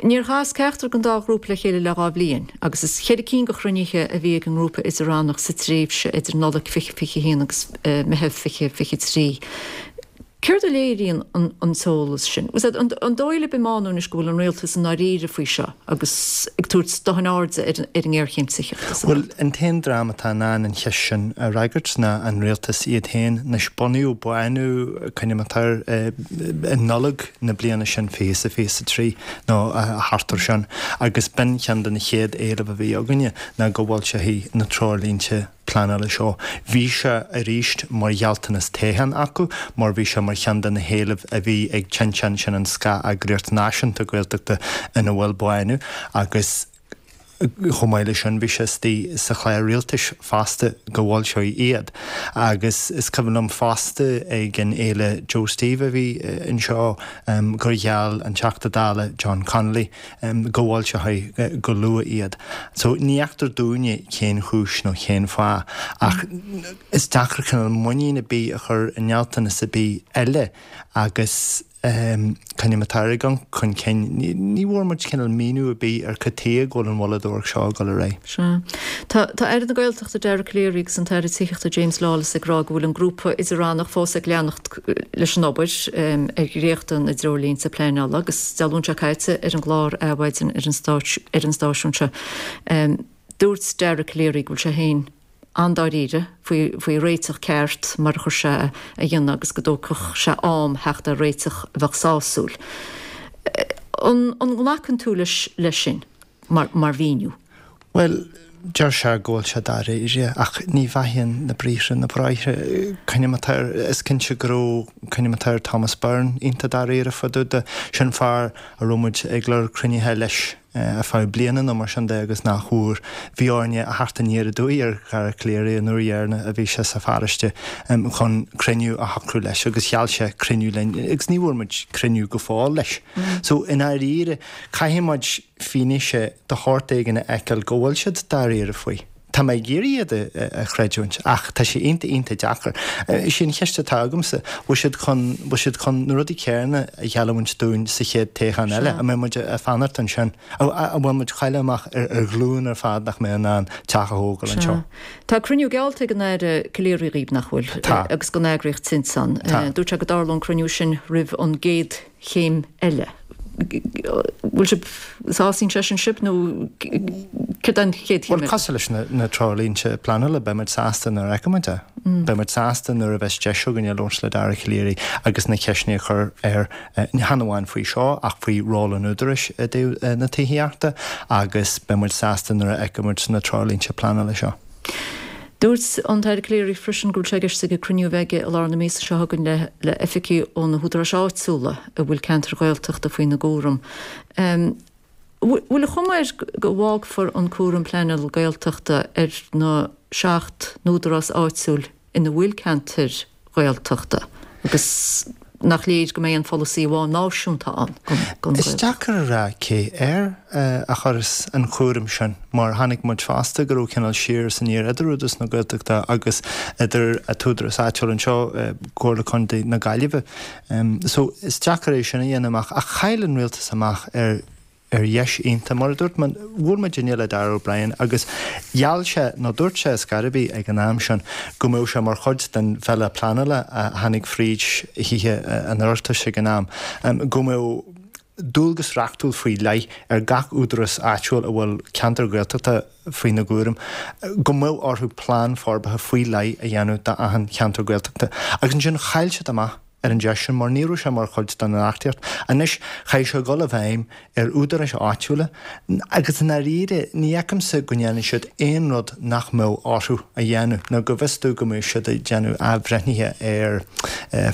Níor chas ceachtar den dá ghrúpa le chéile le 2 bhliain agus is cheithre cinn de chruinnithe a bhí ag an ngrúpa idir-rannach sa tréimhse idir Nollaig 2021 agus Meitheamh 2023. Céard a léiríonn an t-eolas sin? An dóigh libh i Bánú anois go bhfuil an rialtas i ndáiríre faoi seo agus ag tabhairt dóthain airde ar an ngéarchéim tithíochta sa Bhuel, an t-aon dream atá in ann an cheist sin a fhreagairt ná an rialtas iad féin. Anois, bunaíodh Bánú, cuimhním atá air, i Nollaig na bliana sin, 2023 nó thart air sin, agus b'in ceann de na chéad éilimh a bhí againne ná go bhfoilseofaí na treoirlínte pleanála seo. Bhí sé arís mar ghealltanas toghcháin acu mar bhí sé mar cheann de na héilimh a bhí ag Tinteán, sin an scáth-eagraíocht náisiúnta Gaeltachta ina bhfuil Bánú, agus chomh maith leis sin bhí sé istigh sa chlár rialtais fosta go bhfoilseofaí iad. Agus is cuimhin liom fosta ag an fhéile Joe Steve a bhí anseo gur gheall an Teachta Dála John Connolly go bhfoilseofaí go luath iad. So ní fheictear dúinne cén chúis nó cén fáth ach is deacair cineál muinín ar bith a chur i ngealltanas ar bith eile agus coinním atá ag dul chun cinn. Ní bhfuair muid cineál míniú ar bith ar cad tuige go bhfuil an mhoilleadóireacht seo ag dul ar aghaidh. Sea. Tá tá Aire na Gaeltachta Dara Calleary agus an tAire Tithíochta James Lawless ag rá go bhfuil an grúpa idir-rannach fós ag leanacht leis an obair ar dhréachtadh na dtreoirlínte pleanála agus Dé Luain seo caite ar an gclár Adhmhaidin ar an stáisiún seo dúirt Dara Calleary go bhfuil sé féin an-dáiríre faoi réiteach ceart mar a chuir sé a dhéanamh agus go dtógfadh sé am theacht ar réiteach a bheadh sásúil. An nglacann tú leis sin mar mhíniú? Bhuel, deir sé go bhfuil sé dáiríre, ach ní bheathaíonn na briathra na bráithre. Coinním atá air, is cinnte go raibh, coinním atá ar Thomas Byrne iontach dáiríre fá dtaobh de. Sin fear a raibh muid ag lorg cruinnithe leis ar feadh bliana nó mar sin de agus nach bhfuair. Bhí orainne a theacht aniar aduaidh ar Dhara Calleary an uair dheireanach a bhí sé sa pharóiste chun cruinniú a shocrú leis agus gheall sé cruinniú linn agus ní bhfuair muid cruinniú go fóill leis. So, i ndáiríre, caithfidh muid fianaise de shórt éigin a fheiceáil go bhfuil siad dáiríre faoi. Tá mé ag iarraidh iad a chreidiúint ach tá sé iontach iontach deacair. Is í an cheist atá agamsa, bhfuil siad chun, bhfuil siad chun na rudaí céanna a gheallamhaint dúinn sa chéad toghchán eile? An mbeidh muid ag fanacht ansin? An bhfuil muid ag cailleadh amach ar ghlúin ar fad nach mbeidh in ann teach a thógáil anseo? Tá cruinniú geallta ag an Aire Calleary dhaoibh, nach bhfuil? Tá. Agus don eagraíocht Tinteán. Tá. Dúirt sé go dtarlódh an cruinniú sin roimh an gcéad chéim eile. Bhfuil sibh, sásaíonn sé sin sibh nó céard é an chéad chéim eile? Bhuel, cosúil leis na treoirlínte pleanála, beidh muid sásta nuair a fheicfidh muid é. Beidh muid sásta nuair a bheas deis againne labhairt le Dara Calleary agus na ceisteanna a chur air, chan amháin faoi seo ach faoi ról an Údaráis i dtaobh na tithíochta agus beidh muid sásta nuair a fheicfidh muid na treoirlínte pleanála seo. Dúirt an tAire Calleary freisin go bhfuil sé i gceist aige cruinniú a bheith aige i lár na míosa seo chugainn le le oifigigh ó na húdaráis áitiúla a bhfuil ceantair Ghaeltachta faoina gcúram. Bhfuil an chuma air go bhfágfar an cúram pleanála Gaeltachta ar na 7 n-údarás áitiúil ina bhfuil ceantair Ghaeltachta agus nach léir go mbeidh aon pholasaí amháin náisiúnta ann don Is deacair a rá cé air a chuirfeas an cúram sin mar chonaic muid fosta go raibh cineál siar is aniar idir Údarás na Gaeltachta agus idir an t-údarás áitiúil anseo, Comhairle Contae na Gaillimhe. So is deacair é sin a dhéanamh amach ach chaill an rialtas amach ar ar dheis iontach. Mar a dúirt mé, bhuail muid inné le Darragh O'Brien agus gheall sé, nó dúirt sé ar scor ar bith ag an am sin, go mbeadh sé mar chuid den bhille pleanála a tháinig fríd Thithe an Oireachtais ag an am, go mbeadh dualgas reachtúil faoi leith ar gach údarás áitiúil a bhfuil ceantar Gaeltachta faoina gcúram, go mbeadh orthu plean forbartha faoi leith a dhéanamh d'achan cheantar Gaeltachta. Agus ansin chaill siad amach. ar an deis sin mar ní raibh sé mar chuid den reachtaíocht. Anois, chaithfeadh sé dhul i bhfeidhm ar údaráis áitiúla agus i ndáiríre ní fheicimse go ndéanfaidh siad aon rud nach mbeadh orthu a dhéanamh nó go bhfios domh go mbeidh siad ag déanamh athbhreithnithe ar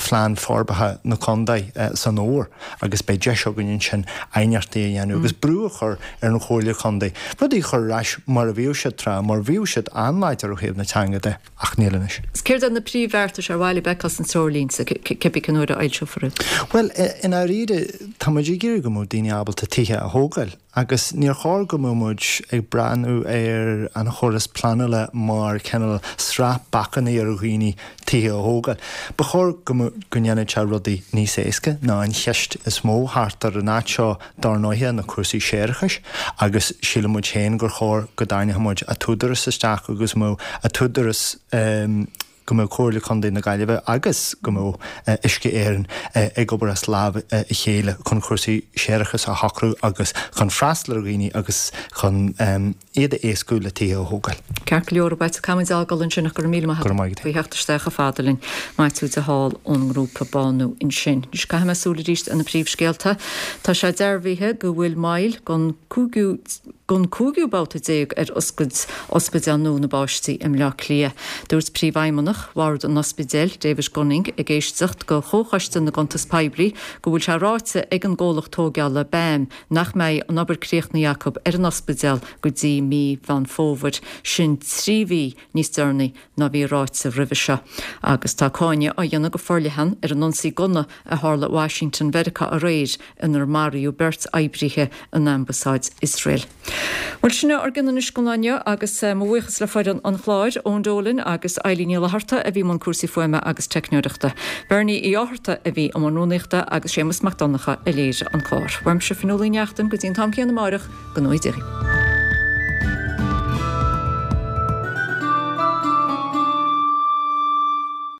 phlean forbartha na contae san fhómhar agus beidh deis againn ansin aighneachtaí a dhéanamh agus brú a chur ar an Chomhairle Contae rudaí a chur ar ais mar a bhíodh siad tráth mar bhíodh siad an-láidir ó thaobh na teanga de. Ach níl anois. Céard iad na príomhbheartais ar mhaith libh a fheiceáil sna treoirlínte, cibé cén uair a fhoilseofar iad? Bhuel, i ndáiríre, tá muid ag iarraidh go mbeadh daoine ábalta tithe a thógáil agus níor chóir go mbeadh muid ag breathnú ar an chóras pleanála mar cineál sraith bacanna ar dhaoine tithe a thógáil. Ba chóir go go ndéanfadh sé rudaí níos éasca ná an cheist is mó thart ar an áit seo Dár ndóighe, na cúrsaí séarachais, agus síleann muid féin gur chóir go dtarraingeodh muid an tÚdarás isteach agus go mbeadh an tÚdarás. go mbeadh Comhairle Contae na Gaillimhe agus go mbeadh Uisce Éireann ag obair as lámh a chéile chun cúrsaí séarachais a shocrú agus chun freastal ar dhaoine agus chun iad a éascú le tithe a thógáil. Ceart go leor, beidh muid á fhágáil ansin ach go raibh míle maith agat faoi theacht isteach chomh fada linn. Maitiú de Hál ón ngrúpa Bánú ansin. Anois caithfidh mé súil arís ar na príomhscéalta. Tá sé dearbhaithe go bhfuil moill don cúigiú don cúigiú babhta déag ar oscailt Ospidéal nua na bPáistí i mBleá Cliath. Dúirt Príomhfheidhmeannach Bhord an Ospidéil, David Gunning, ag éisteacht do Chomhchoiste na gCuntas Poiblí go bhfuil sé ráite ag an gcomhlacht tóigeála BAM nach mbeidh an obair críochnaithe acu ar an ospidéal go dtí mí Mheán Fómhair, sin 3 mhí níos deireanaí ná bhí ráite roimhe seo. Agus tá cáineadh á dhéanamh go forleathan ar an ionsaí gunna a tharla i Washington Mheiriceá aréir inar maraíodh beirt oibrithe in ambasáid Iosrael. Bhuel, sin é ár gcionn anois don lá inniu agus mo bhuíochas le foireann an chláir, Eoin Dolan agus Eilín Ní Fhlatharta a bhí i mbun cúrsaí fuaime agus teicneoireachta. Bernie Uí Fhátharta a bhí i mbun rúnaíochta agus Séamus Mac Donncha a léirigh an clár. Uaimse Fionnuala Ní Neachtain go dtí an t-am céanna amáireach, go ngnóthaí Dia dhaoibh.